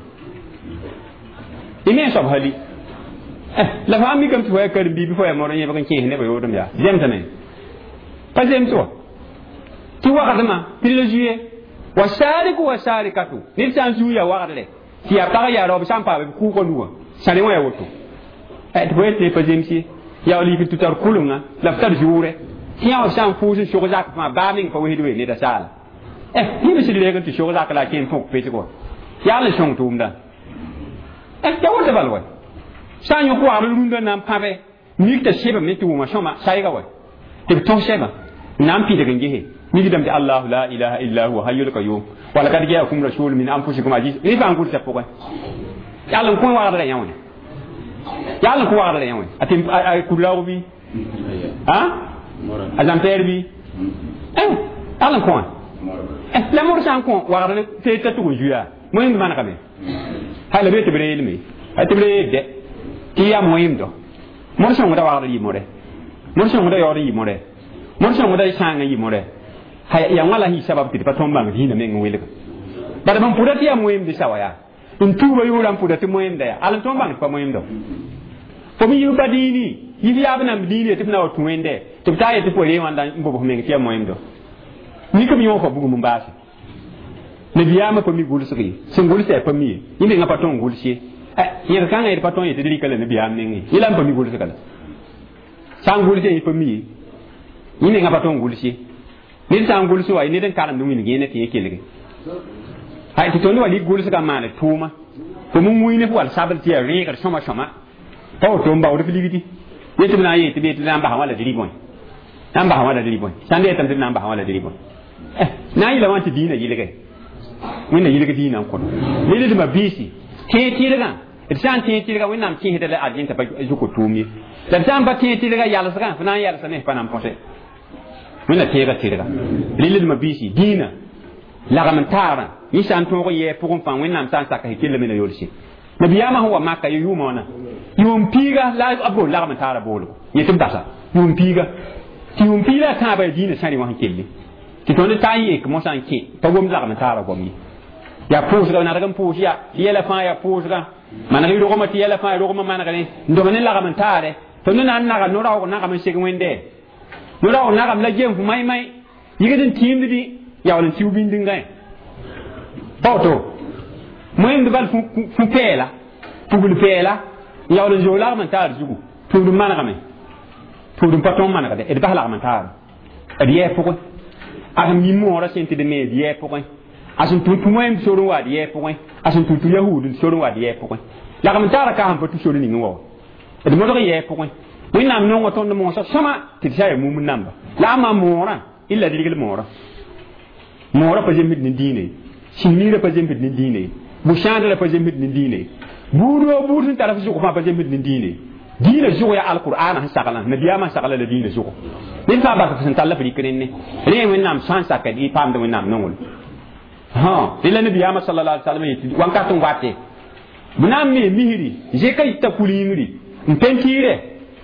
y me n soab hali la fãa mikame tɩ fo yaa karen-biig bɩ fo yaa modg yẽbg n kẽes nebã yoodem yaa zemsame pa zems wa tɩ wagdmã tɩ la zuye wa sariku wa sarikatu ned sã n zuu yaa wagdre tɩ yaa pag yaa raoob sã n paam b kʋʋgã nugã sãne wã yaa woto tɩ fo yet pa zems ye yaa lik tɩ tar kʋlenga la f tar zuʋrɛ tɩ yã wã sã n fʋʋs n sog zak fãa baa meng pa wesd we ned a saala yẽb sɩd reeg n tɩ sog zak la a kẽ n põk pesg wa yaa n sõng tʋʋmdã ya woto bal wa sã n yõk wagd rũndã na n pãbe mik t'a sebame tɩ wʋma sõma sayga wa tɩ b tõs sɛba n na n pidg n gese mikdame tɩ allahu la ilaha illa huwa hayyul qayyum wa laqad jaakum rasulun min anfusikum aziz rẽ fãa n gʋlsa pʋgẽ yal n kõ wagdrã yã wã yal n kõ wagdrã yã wã a tɩ a kurlaoog bɩ a zãm-pɛɛr bɩ yal n kõ wã la mor sã n kõ wagdr tɩ t'a tʋg n zuya moẽmd manegame hala be tɩ b reelme a tɩ b reel dɛ tɩ yaa moẽmdo mor sõngda wagdr yɩ more mor sõngda yaood n yɩ more mor sõngda sãang n yɩ more yaa wã la sẽn yɩ sabab tɩ d pa tõnd bãng dĩinã meng n welga bala bãmb pʋda tɩ yaa moẽmd sawa yaa n tuuba yʋʋrã n pʋda tɩ moẽmda yaa al n tõnd bãng tɩ pa moẽmdo fo me yɩ pa dĩini yif yaab namb dĩini tɩ f na wa tũ wẽnde tɩ b taa yetɩ fo ree wãnda n bobs meng tɩ yaa moẽmdo mik b yõog fa bugum n baase nabiyaamã pa mi gʋlsg ye sẽn gʋlsa yaa pa mi ye yẽ mengã pa tõnd gʋls ye yẽg kãngã d pa tõnd yetɩ d rɩka la nabiyaam nengẽ yẽ la n pa mi gʋlsga la sã n gʋls yẽ pa mi ye yẽ mengã pa tõnd gʋls ye ned sã n gʋls wa ned n karemd wĩneg yẽne tɩ yẽ kelge tɩ tõnd wa lik gʋlsgã maane tʋʋma fo mun wĩine f wal sabl tɩ yaa rẽegr sõma sõma pa woto n baood f ligdi yetɩ b na n yee tɩ b yetɩ na n basa wã la d rɩ bõe na n basa wã la d rɩ bõe sãn yetame tɩ d na n basa wã la d rɩ bõe na n yɩla wã tɩ dĩinã yɩlge wẽnna yɩlg dĩinã n kõd lildmã biisi tẽeg tɩrgã d sã n tẽeg tɩrgã wẽnnaam kẽesda la argẽn t'a pa zʋk tʋʋm ye la d sã n pa tẽeg tɩrgã yalsgã f na n yalsame pa na n põse wẽnna tẽega tɩrga lildmã biisi dĩinã lagm n taarã yẽ sã n tõog n yɛɛ pʋgẽ fãa wẽnnaam sã n saka sẽn kellame na yolse nabiyaamã sẽn wa maka yʋʋmã wãna yʋʋm piiga la b bool lagm n taara boolgo yẽ tɩ b basa yʋʋm piiga tɩ yʋʋm piiga a tãabã yaa dĩinã sãrẽ wã sẽn kelle tɩ tõnd taa n yek mosã n kẽ pa gomd lagm n taara goam ye Yaa pʋʋsga nadg n pʋʋs yaa tɩ yɛla fãa yaa pʋʋsga maneg y rogmã tɩ yɛla fãa rogmã manegre n dõma ne lagm n taare tõnd na n naga no-raoog nagam n seg wẽnde no-raoog nagam la gem fo maĩ-maĩ yigd n tĩimddi yaool n siu bindingã pa woto moẽmd bal fũ pɛɛla pugl pɛɛla n yaool n zoog lagm n taar zugu tũud n manegame tũud n pa tõog manegde d bas lagm n taar d yɛɛ pʋgẽ a sẽn mi moorã sẽn tɩ d me d yɛɛ pʋgẽ a sẽn tũ tũ wẽnd sor n wa d yɛɛ pʋgẽ a sẽn tũ tũ yahuud sor n wa d yɛɛ pʋgẽ lagm n taara ka sẽn pa tũ sor ning wa d modg yɛɛ pʋgẽ wẽnnaam nonga tõnd moosã sõma tɩ d sa yaa mum namba la a maa moorã illa d rigl moorã moorã pa zemsd ne diine sĩnmiirã pa zemsd ne diine bu-sãadrã pa zemsd ne diine buud woo buud sẽn tar f zʋg fãa pa zemsd ne diine diinã zʋg yaa alqur'ana sẽn saglã nabiyaamã sagla la diinã zʋgo ned fãa bas sẽn tall f rɩk rẽnne rẽ wẽnnaam sã n saka d paamd wẽnnaam nongl rẽ la nabiyaamã sallallahu alaihi wasallam yetɩ wãnkat n wate b na n me misri zẽka yita kul yĩngri n pentiire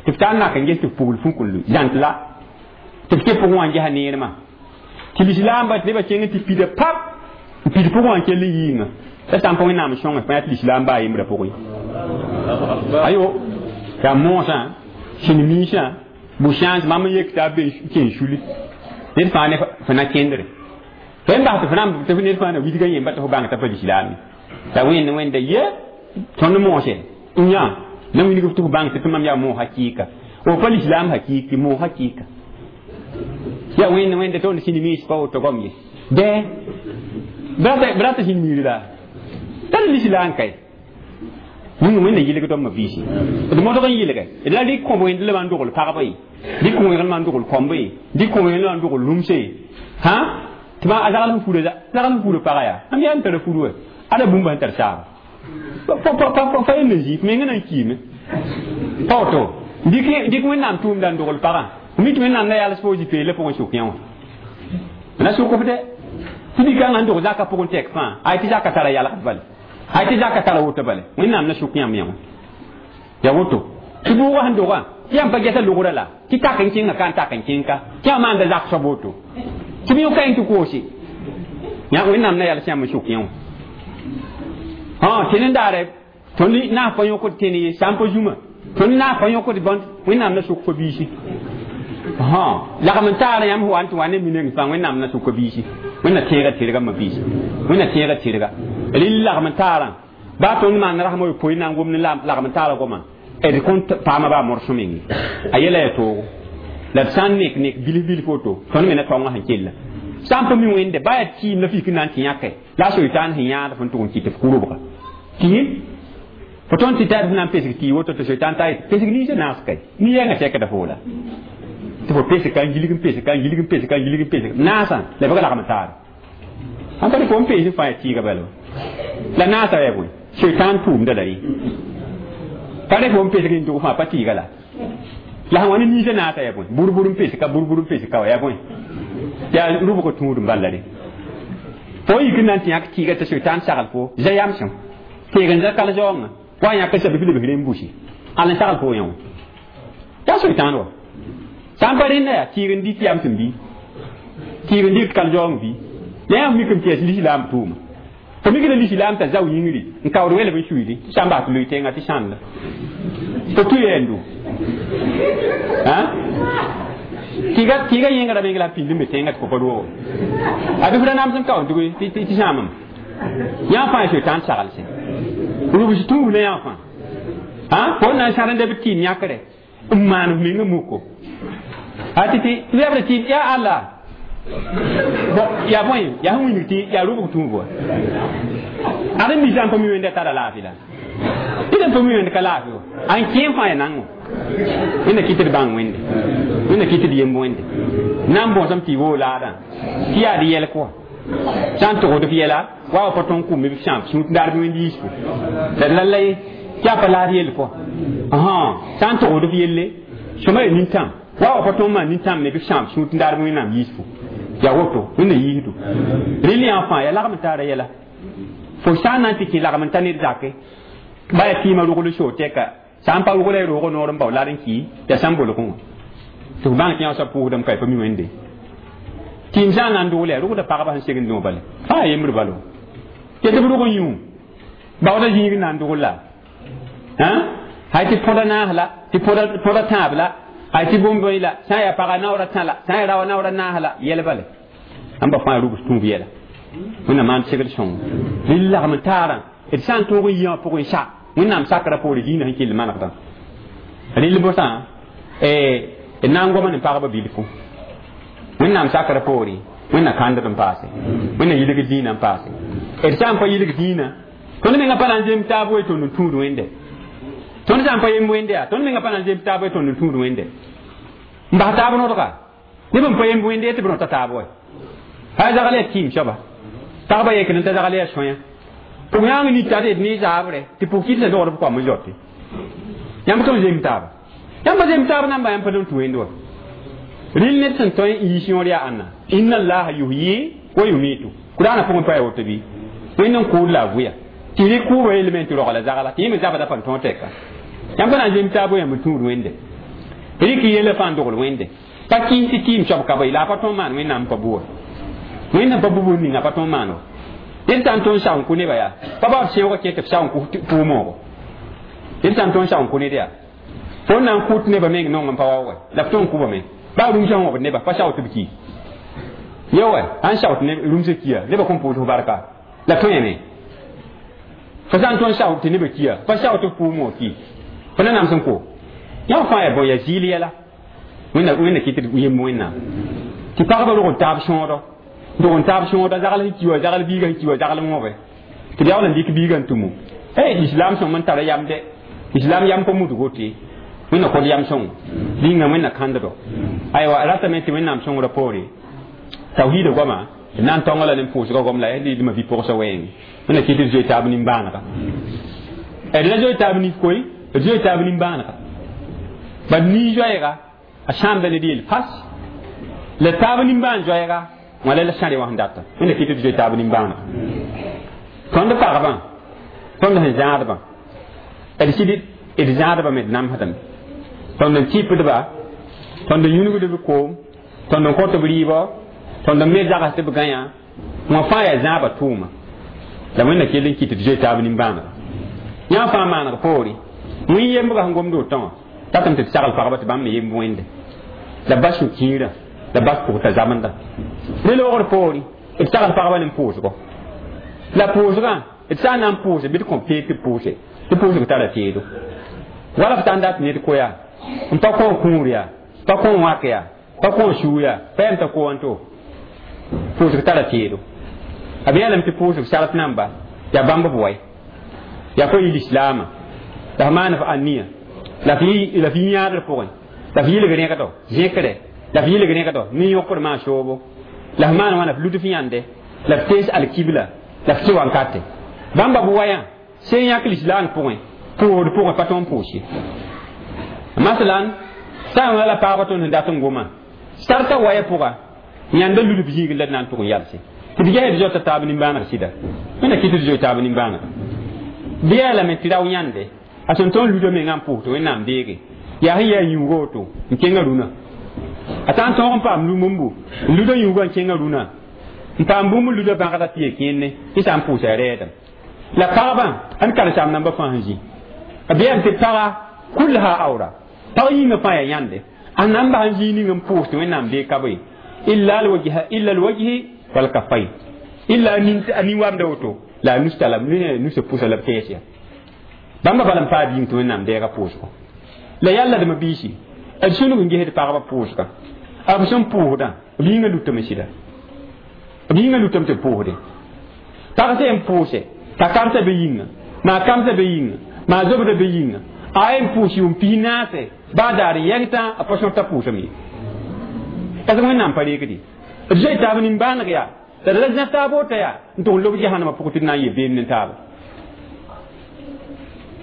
tɩ f tar n nak n ges tɩ f pugl fũkul zãnt la tɩ f kẽ pʋgẽ wã n gesa neermã tɩ lislaamba tɩ nebã kẽng tɩ pida pap n pid pʋgẽ wã n kell n yiingã la sã n pa wẽnnaam sõnge fãa tɩ lislaam baa yembrã pʋgẽ ayo yaa moosã sĩn-miisã bu-sãans mam n yek t'a be kẽ suli ned fãa ne fo na kẽndre fo n bas tɩ fo na tɩ ned fãa na widgã yemba tɩ fo bãng t'a pa lislaam la wẽnd wẽnda ye tõnd moose n yã na wilg tɩ fo bãng tɩ tɩ mam yaa moog hakɩɩka o pa lislaam hakɩɩk moog hakɩɩka yaa wẽnd wẽnda tõnd sĩn-miis pa woto gom ye dɛ b rata sĩn-miir la tar lislaam kay wĩnga wẽnna yɩlg tõmba biisi d modg n yɩlge d la rɩk kõb wẽnd la n dogl pagba ye rɩk kõ wẽgl n dogl kɔmba ye rɩk kõ wẽgl n dogl rũmse hã tɩ a zagl sẽn fura zagl sẽn fura paga yaa mam yaa n tara furu wa ada bũmb sẽn tar saaba fa yel n zĩ menga nan kiime pa woto dɩk wẽnnaam tʋʋmda n dogl pagã mi tɩ wẽnnaam na yals fo zĩ peelã pʋgẽ sʋk yã wã na sʋk f dɛ tɩ dɩkãngã n dog zakã pʋgẽ tɛk fãa ay tɩ zakã tara yalgd bale ay tɩ zakã tara woto bale wẽnnaam na sʋk yãmb yã wã ya woto tɩ bʋʋgã sẽn dogã tɩ yãmb pa gɛsa logrã la tɩ tak n kẽnga ka n tak n kẽnka tɩ yã maanda zak soab woto tɩ b yõka tɩ koose yã wẽnnaam na yals yãmb n sʋk yã wã tɩ nen-daare tõnd naas pa yõkd tẽn ye sã n pa zũma tõnd naas pa yõkd bõnd wẽnnaam na sʋk fo biisi lagm n taara yãmb wa n tɩ wa ne mineng fãa wẽnnaam na sʋk biisi wẽnna tẽega tɩrga ma biisi wẽnna tẽega tɩrga rɩl lagm n taarã baa tõnd maan rasem a yopoe na n gom ne lagm n taara goma d kõn paama baa morsõ menge a yɛla yaa toogo la d sã n nek nek bilf bilf woto tõnd me na taongã sẽn kella sã n pa mi wẽnde baa yaa tɩɩm la fik n na n tɩ yãke la a soitaan sẽn yãad fõn tʋg n kɩt f kurubga tɩ fo tõnd tɩ tar f na n pesg tɩ woto tɩ soitaan ta pesg ninsã naas kay ni-yɛngã sɛkda fo la tɩ fo pesg ka n gilg n pesg ka n gilg n pesg ka n gilg n pesg naasã la b lagm taare sãn pa fo n pees fãa yaa tɩɩga bala la naasã yaa bõe soitaan tʋʋmda la rẽ pa rẽ fo n pesg n dʋg fãa pa tɩɩga la la sẽn wa ne ninsã naasã yaa bõe bur-bur n pesg ka bur-bur n pesg ka wa yaa bõe yaa rʋbg tũud n bala rẽ fo yik n na n tɩ yãk tɩɩga tɩ soitaan sagl fo zã yamsem teeg n zã kal zaoongã wa yãk n sab lebg rẽ n busi al n sagl fo yã wã yaa soitaan wa sã n pa rẽnda yaa tɩɩg n dɩt yam sẽn bɩ tɩɩg n dɩt kal zaoong bɩ la yãmb mik n tɩ yaa lislaam tʋʋma fo mik la lislaam t'a zao yĩngri n kaood welb n suiidi sã n bas tɩ loe tẽngã tɩ sãnda fo tʋ yɛɛndo tɩga tɩɩga yẽngra meng la pĩnd n be tẽngã tɩ fo pa roogo a bɩ f ra nams n kaood tɩ sãamem yã fãa soitaan saglse rubs tũuf la yã fãa fo na n sãrenda b tɩɩm yãkre n maan f menga muko a tɩ tɩ lebra tɩ yaa alla yaa bõe yaa sẽn wilg tɩ yaa rʋbg tũuf wa ad n misã n pa mi wẽnda tara laafɩ la tɩ n pa mi wẽnd ka laafɩ wa a n kẽem fãa yaa nango wẽnna kɩt d bãng wẽnde wẽnna kɩt d yemb wẽnde na n bõsem tɩ y woo laadã tɩ yaa d yɛlk wa sã n togd f yɛla wa wa pa tõn kʋme b sãam sũut daar bɩ wẽnd yiisfu la d la la ye tɩ yaa pa laad yell pʋa sã n togd f yelle sõma yaa nintãm wa wa pa tõn maan nintãm ne bɩ sãam sũut daar bɩ wẽnnaam yiisfu yaa woto wẽnna yiisdu rɩl yã fãa yaa lagm n taara yɛla fo sã n na n tɩ kẽ lagm n ta ned zake ba yaa tɩɩmã rogl soo tɛka sã n pa rogla y roog noor n bao lad n kɩ yaa sã n bolgẽ wã tɩ f bãng tɩ yã soab pʋʋsdame ka y pa mi wẽnde tɩɩm sã n na n dogl yaa rogda pagba sẽn segend dõ bale fãa yembr balo tɩ tɩ b rog n yũ baoodã zĩig n na n dogl la hay tɩ põda naas la tɩ põda tãab la ay tɩ bũmb la sã n yaa paga naoora tã la sã n yaa raoã naoora naas la yɛl bale ãmba fãa rubs tũub yɛla wẽnnaam maan segd sõng rɩl lagm n taarã d sã n tõog n yɩ wã pʋgẽ sa wẽnnaam sakrã poore dĩinã sẽn kell manegdã rɩl bosã d na n goma ne pagba bilfu wẽnnaam sakrã poore wẽnna kãndd n paase wẽnna yilg dĩinã n paase d sã n pa yilg dĩinã tõnd menga pa na n zem taab we tõnd n tũud wẽnde tõnd sã n pa yemb wẽnde yaa tõnd menga pa na n zemb taab we tõnd n tũud wẽnde n bas taab nodga neb n pa yemb wẽnde tɩ b rõta taab wa haa zagl yaa kɩɩm soaba pagba yekd n t'a zagl yaa sõya pʋg yãng nita d ne zaabre tɩ pʋg kɩt dogd b koam n zote yãmb tõnd zemb taaba yãmb pa zemb taab namba yãmb pa tõnd tũ wẽnd wa rɩl ned sẽn tõe n yiis yõor yaa ãnna inna allaha yuhyi wa yumitu kuraanã pʋgẽ pa ya woto bɩ wẽnd n kʋʋd la a vʋya tɩ rɩ kʋʋba yeelame tɩ rogla zagla tɩ yẽ me zabda pa n tõog tɛka yãmb pa na n zemb taab yãmb n tũud wẽnde rɩk yɛla fãa n dogl wẽnde pa kɩs tɩ kɩɩm soab ka bɩ la a pa tõog maan wẽnnaam pa bʋa wẽnnaam pa bʋ ninga pa tõog maan wa ned sã n tõnd sao n kʋ neba yaa pa baood sẽoogã kẽ tɩ b sao n kʋ pʋʋ-moogo ned sã n tõnd sao n kʋ ned yaa fo na n kʋt nebã meng nong n pa wa wa la f tõnd n kʋba me baa rũmsã wõbd neba pa sao tɩ b ki ya wa sãn sao tɩ rũmsã kiya nebã kõn pʋʋs f barka la tõe me fo sã n tõnd sao tɩ nebã kiya pa sao tɩ f pʋʋ-moog ki fo na nams n ko yã fãa yaa bõe yaa zɩɩl yɛla wẽnna wẽnna kɩt tɩ yemb wẽnnaam tɩ pagba rog n taab sõodo dog n taab sõoda zagl sẽn ki wa zagl biigã sẽn ki wa zagl wõbe tɩ b yaool n dɩk biigã n tũmu ey islam sõm n tara yam de islam yam pa mudg woto wẽnna kod yam sõng rĩnga wẽnna kãnddo aywa ratame tɩ wẽnnaam sõngrã poore tawhiida goama d na n tõnga la ne pʋʋsgã gom la yaa dɩdmã vi-pʋgsa wɛɛng wẽnna kɩt d zoe taab nimbãanega d la zoe taab nif koe d zoe taab nimbãanega bad nii-zoɛɛga a sãamda ned yel fas la taab nimbãan zoɛɛga wãla la sãre wã sẽn data wẽnna kɩt d zoe taab nimbãanega tõnd pagbã tõnd sẽn zãadbã d sɩd d zãadba me d namsdame tõnd n tɩpdba tõnd n yũnugd b koom tõnd n kõt b rɩɩbɔ tõnd n me zags tɩ b gãyã wã fãa yaa zãabã tʋʋma la wẽnna kell n kɩt d zoe taab nimbãanega yã fãa maaneg poore wẽn yembga sẽn gomd wotõ tatame tɩ d sagl pagba tɩ bãmb me yemb wẽnde la bas sũ-kiirã la bas pʋgta zamenda ne loogr poore d sagl pagba ne pʋʋsgo la pʋʋsgã d sã n na n pʋʋse bɩ d kõ peeg tɩ pʋʋse tɩ pʋʋsg tara teedo wala f sã n dat ned koya n pa kõ kũur yaa pa kõ wãk yaa pa kõ suu yaa pa yam t'a ko wãnto pʋʋsg tara teedo a b yãlame tɩ pʋʋsg sart namba yaa bãmb b wai yaa fo yɩl islaama la f maan f aniya la f yɩ yãadr pʋgẽ la f yɩlg rẽgdo zẽkre la f yɩlg rẽgdo ne yõkr maan soobo la f maan wãna f lud f yãnde la f tees alkibla la f kɩ wankate bãmba b wayã sẽn yãk lislaang pʋgẽ pʋʋsd pʋgẽ pa tõnd pʋʋs ye masalan sã n la paagba tõnd sẽn dat n goma sarta waya pʋga yãnda lud b zĩigr la d na n tʋg n yalse tɩ d ges d zoata taab nimbãaneg sɩda wẽnna kɩt d zoe taab nimbãanega bɩ yaa lame tɩ rao yãnde a sẽn tõnd luda mengã n pʋʋs tɩ wẽnnaam deege yaa sẽn yaa yĩuuga woto n kẽngã rũnã a sã n tõog n paam bũmbu n luda yĩuugã n kẽngã rũnã n paam bũmb luda bãgda tɩ ye kẽenne tɩ sã n pʋʋsa rɛɛdem la pagbã ãn karen-saam nambã fãa sẽn zĩ b yam tɩ paga kulha awra pag yĩngã fãa yaa yãnde a namba sẽn zĩig ning n pʋʋs tɩ wẽnnaam deeg ka bõe illa alwajha illa alwajhi walkaffayn illa a nin-wamda woto la a nus tala nusa pʋsa la b tɛɛs ya bãmba bala n paa bĩng tɩ wẽnnaam deega pʋʋsgo la yalladmã biisi d sũnug n gesd pagba pʋʋsga b sẽn pʋʋsdã b yĩngã lutame sɩda b yĩngã lutame tɩ b pʋʋsdẽ pag sẽn pʋʋse t'a kamsã be yĩnga maa kamsã be yĩnga maa zobdã be yĩnga a yen pʋʋs yʋʋm pis naase baa daar yɛgtã a pa sõta pʋʋsame ye parce que wẽnnaam pa reegde d zoe taab nimbãaneg yaa la d la zã taab wota yaa n tʋg n lob jahannamã pʋgẽ tɩ d na n yel beem ne taaba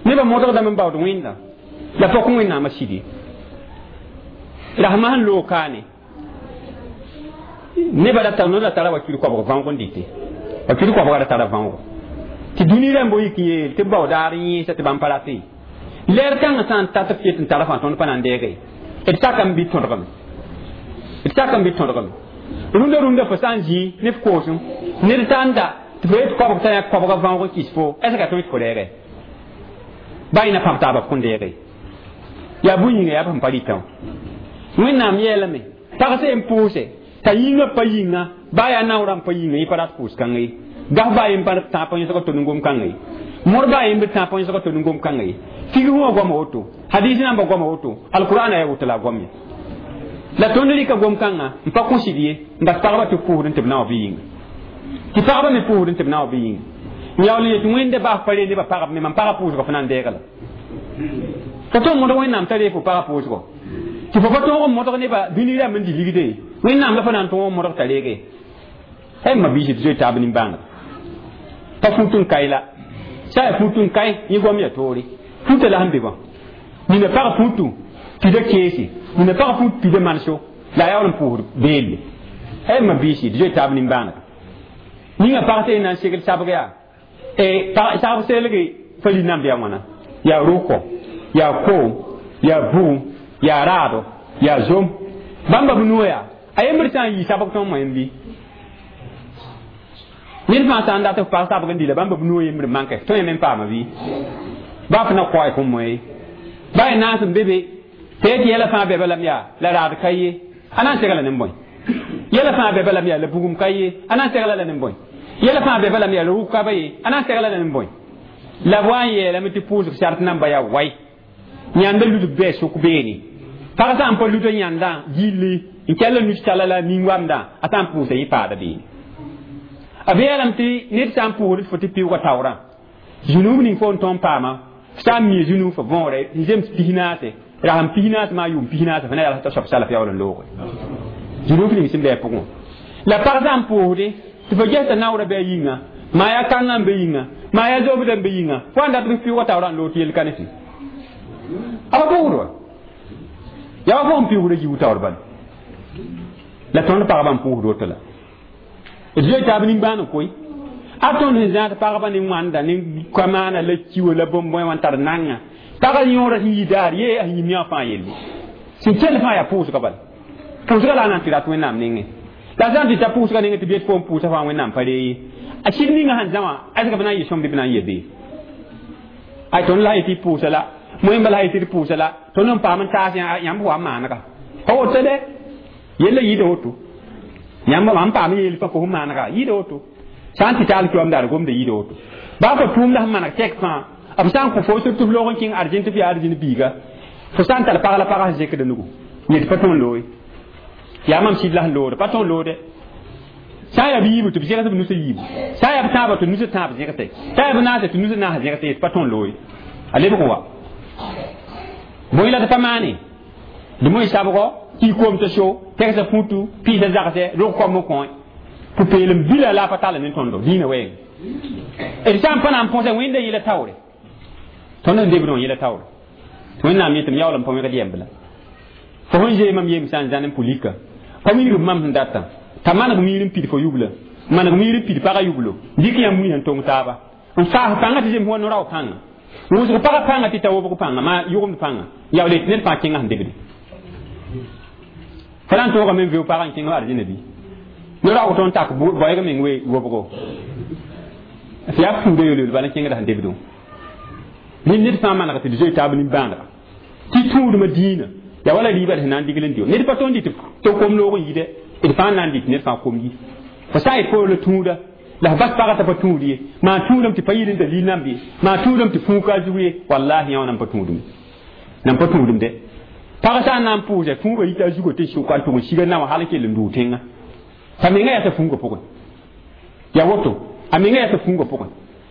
nebã modgdame n baood wẽnda la pok wẽnnaamã sɩd ye rasmã sẽn loog kaane nebã ra tar no ra tara wakil koabg võog n dɩte wakil koabga ra tara võogo tɩ dũni rãmb yik n yeel tɩ b bao daar n yẽesa tɩ bãmb pa rate lɛɛr kãngã sã n tat f ket n tara fãa tõnd pa na n deege d sakame bɩ tõdgame d sakame bɩ tõdgame rũndã rũndã fo sã n zĩ ne f koosem ned sã n da tɩ fo yet koabg t'a yã koabga vãoog n kɩs fo est ce que a tõe tɩ fo reege baa yẽna pãb taaba f kõn deege yaa bũn yĩnga yaa b sẽn pa rɩtã wã wẽnnaam yeelame pag sẽn pʋʋse t'a yĩngã pa yĩnga baa yaa naoorã n pa yĩnga yẽ pa rat pʋʋs-kãngã ye gaf baa yem pa tãab pa yõsg tond n gom kãnga ye mor baa yembd tãab pa yõsg tond n gom kãnga ye figr wã goama woto hadis namba goama woto alqur'ana ya woto la a goam ye la tõnd rɩka gom kãngã n pa kõ sɩd ye n bas pagba tɩ pʋʋsd n tɩ b na wa bɩ yĩnga tɩ pagba me pʋʋsd n tɩ b na wa bɩ yĩnga n yaool n yet wẽnde baas pa re nebã pagb me mam pagã pʋʋsgã fo na n deega la fo tõnd modg wẽnnaam t'a ree fo pagã pʋʋsgɔ tɩ fo pa tõog n modg nebã dũni rãmb n dɩ ligde wẽnnaam la fo na n tõog n modg t'a reege ay ma biisi tɩ zoe taab nimbãanega pa fut n kae la sã yaa fut n kae yẽ goam ya toore futa la sẽn be bã nina pag futu pida keese nina pag fut pida manso la a yaool n pʋʋsd beelle ay ma biisi tɩ zoe taab nimbãanega ninga pag tɩ na n segl sabg yaa sagb selge fa li-namb yaa wãna yaa rʋkɔ yaa koom yaa bugum yaa raado yaa zom bãmba b nuo yaa a yembr sã n yi sabg tõnd moẽm bɩ ned fãa sã n dat f pag sabg n dɩla bãmba b nuo yembr manke tõe me n paama bɩ baa f na koa y fõn moe baa y naas n be be tɩ yetɩ yɛla fãa bɛ balame yaa la raad ka ye a na n segla ne bõe yɛla fãa bɛ balame yaa la bugum ka ye a na n segla la ne bõe yɛla fãa bɛ balame yaa la rʋk ka ba ye a na n segla la ne bõe la b wa n yeelame tɩ pʋʋsg sart namba yaa wai yãnda ludb bɩ sʋk beene pag sã n pa luda yãndã gilli n kell n nus-tala la nin-wamdã a sã n pʋʋsa yẽ paada beene a beelame tɩ ned sã n pʋʋsd fo tɩ pɩʋʋga taoorã zũnub ning fo n tõnd paama sã n mii zũnug fo võore n zems pis naase rasem pis naase maa yʋʋm pis naase fo na yals t'a soab salaf yaool n looge zũnug ning sẽn bɩ a pʋgẽ la pag sã n pʋʋsde tɩ fo ges t'a naoorã bɩ a yĩnga maa yaa kãngã n be yĩnga maa yaa zobdã n be yĩnga fo n dat b pɩʋʋga taoorã n loog tɩ yel ka ne fɩ a pa pʋʋsd wa yaa wa fo n pɩʋʋsda yiu taoor bala la tõnd pagba n pʋʋsd woto la d zoe taab nimbãan koe a tõnd sẽn zãad pagba ne wãnda ne kamaana la kiwa la bõn-bõe wã n tar nanga pagã yõora sẽn yi daar ye a yĩm yã fãa yelle sẽn kell fãa yaa pʋʋsga bala pʋʋsga la a na n tɩ rat wẽnnaam nengẽ la sã n tɩ ta pʋʋsga nengẽ tɩ b yet fo n pʋʋsa fãa wẽnnaam pa ree ye a sɩd ninga sẽn zã wã ɛsg b na n yɩ sõm bɩ b na n ye bee ay tõnd la yetɩ pʋʋsa la moẽmba la yetɩ d pʋʋsa la tõnd n paam n taas yãmb wa n maanega pa woto dɛ yella yɩɩda woto yãmb mam paam yeel fã fo maanega yɩɩda woto sã n tɩ taal kiwam daar gomda yɩɩda woto baa fo tʋʋmda sẽn maneg tɛk fãa b sã n kõ fo tɩ f loog n kẽng argent f yaa argent biiga fo sã n tar pag la pagã sẽn zekda nugu yet pa tõnd looye yaa mam sɩd la sẽn loode pa tõnd loode sã n yaa b yiibu tɩ b zẽgs b nusã yiibu sã n yaa b tãabã tɩ nusã tãab zẽgse sã n yaa b naase tɩ nusã naas zẽgse yet pa tõnd looye a lebg n wa bõe la tɩ pa maane dɩ moe sabgɔ ki koom t'a so tɛgsa futu piisa zagse rog koam n kõ pʋ-peelem bila la a pa tall ne tõndo dĩinã wɛɛng d sã n pa na n põsa wẽnda yẽla taoore tõnd sẽn debd wã yẽla taoore tɩ wẽnnaam yetɩ m yaool n pa wẽgd yɛmb la fo sẽn zee mam yem sã n zãn n pʋ-lika pa wilg mam sẽn datã t'a maneg miir n pid fo yubla maneg miir n pid pagã yublo dɩk yãmb mui sẽn tong taaba n faas pãngã tɩ zems wa no-rao pãnga wʋsg pagã pãnga tɩ ta wobg pãnga maa yʋgemd pãnga yaool yetɩ ned fãa kẽngã sẽn debde fo na n tõogame n veo pagã n kẽng arzẽna bɩ no-raoog tõnd tak boɛg meng we wobgo tɩ yaa pũuda yolyol bala n kẽngda sẽn debdẽ rẽnd ned fãa maneg tɩ d zoe taab nimbãanega tɩ tũudmã dĩinã yaa wala riibã sẽn na n digl n dɩ ned pa tõnd dɩ tɩ kom loog n yide d fãa n na n dɩt ned fãa kom yi fo sã n yet fo la tũuda la f bas pagã t'a pa tũud ye maa tũudame tɩ pa yɩl n dalil namb ye maa tũudame tɩ fũuka a zug ye wallahi yã wã nan pa tũudum nan pa tũudum dɛ pag sã n na n pʋʋsa fũubã yita a zugã tɩ sʋka n tʋg n siga na wã hal n kell n dʋʋ tẽngã t'a menga yaa t'a fũungã pʋgẽ yaa woto a menga yaa t'a fũungã pʋgẽ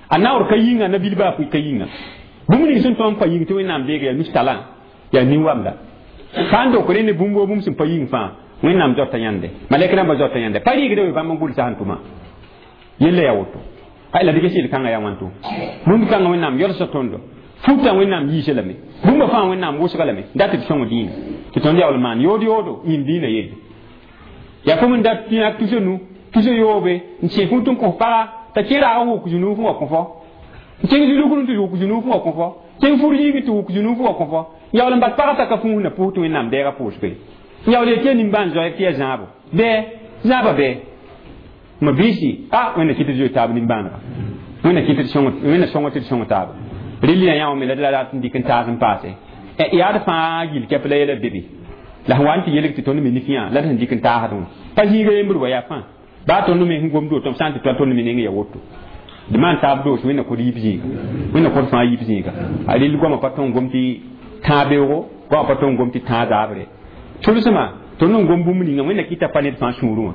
a naoor ka yĩnga nabil baa ka yĩnga bũmb ning sẽn tõnd pa yĩng tɩ wẽnnaam deega yaa nus-talã yaa nin-wamda sã n dok rẽnd bũmb wo bũmb sẽn pa yĩng fãa wẽnnaam zoata yãnde malɛk rãmbã zoata yãnde pa rɩɩgda we bãmb n gʋlsa sẽn tʋma yella yaa woto ay la dɩka sɩl kãngã yaa wãnto bũmb kãngã wẽnnaam yolsa tõndo futa wẽnnaam yiisa lame bũmba fãa wẽnnaam wʋsga lame dat tɩ sõng dĩinã tɩ tõnd yaool maan yood yoodo yĩm dĩinã yelle yaa fo n dat tɩ tusa nu tusa yoobe n sẽ fut n kõ paga t'a kẽ raag n wʋk zũnuuf n wa kõ fo n kẽng zulugr tɩ wʋk zũnuuf n wa kõ fo kẽng fur yiigi tɩ wʋk zũnuuf n wa kõ fo yaool n bas pagã t'a ka fũus na pʋʋs tɩ wẽnnaam deega pʋʋsge yaool yetɩ yaa nimbãan zoɛɛg tɩ yaa zãabo bɩ zãaba bɩ Ma biisi a wẽnna kɩt tɩ zoe taab nimbãanega wẽnna kɩt tɩ wẽnna sõng tɩ d sõng taaba rɩl yã yã me la d la rat n dɩk n taas n paase yaa d fãa gill kɛp la yɛla bebe la sẽn wa n tɩ yelg tɩ tõnd me nik yã la d sẽn dɩk n taasdẽ wã pa zĩiga yembr wa yaa fãa baa tõnd me sẽn gomd woto sã n tɩ toa tõnd me neng ya woto d maan taab doos wẽnna kod yib zĩiga wẽnna kod fãa yib zĩiga a rɩl goamã pa tõnd gom tɩ tãa beoogo goamã pa tõnd gom tɩ tãa zaabre tʋlsmã tõnd n gom bũmb ninga wẽnna kɩta pa ned fãa sũurẽ wã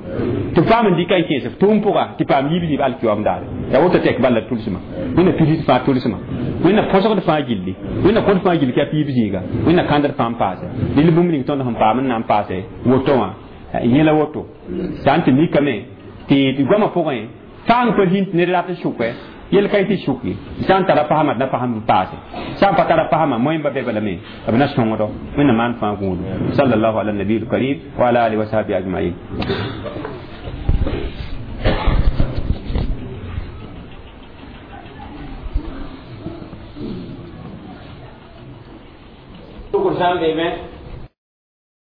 tɩ paam n dɩka n kẽes f tʋʋm pʋga tɩ paam yiib zĩib alkiyoam daare yaa woto tɛk bala tʋlsmã wẽnna pids fãa tʋlsmã wẽnna põsgd fãa gilli wẽnna kod fãa gill kɛp yiib zĩiga wẽnna kãndd fãa n paase dɩl bũmb ning tõnd sẽn paam n na n paase woto wã yẽla woto sã n tɩ mikame tɩ goamã pʋgẽ fãng pa zĩnd ned rat n sʋkɛ yel ka tɩ sʋk ye sã n tara pasma d na pasm n paase sã n pa tara pasma moẽmba be balame b na sõngdo wẽnna maan fãa gũudu sallallahu ala nabiil karim wa ala alihi wa sahbihi ajmain sʋkr sã n beeme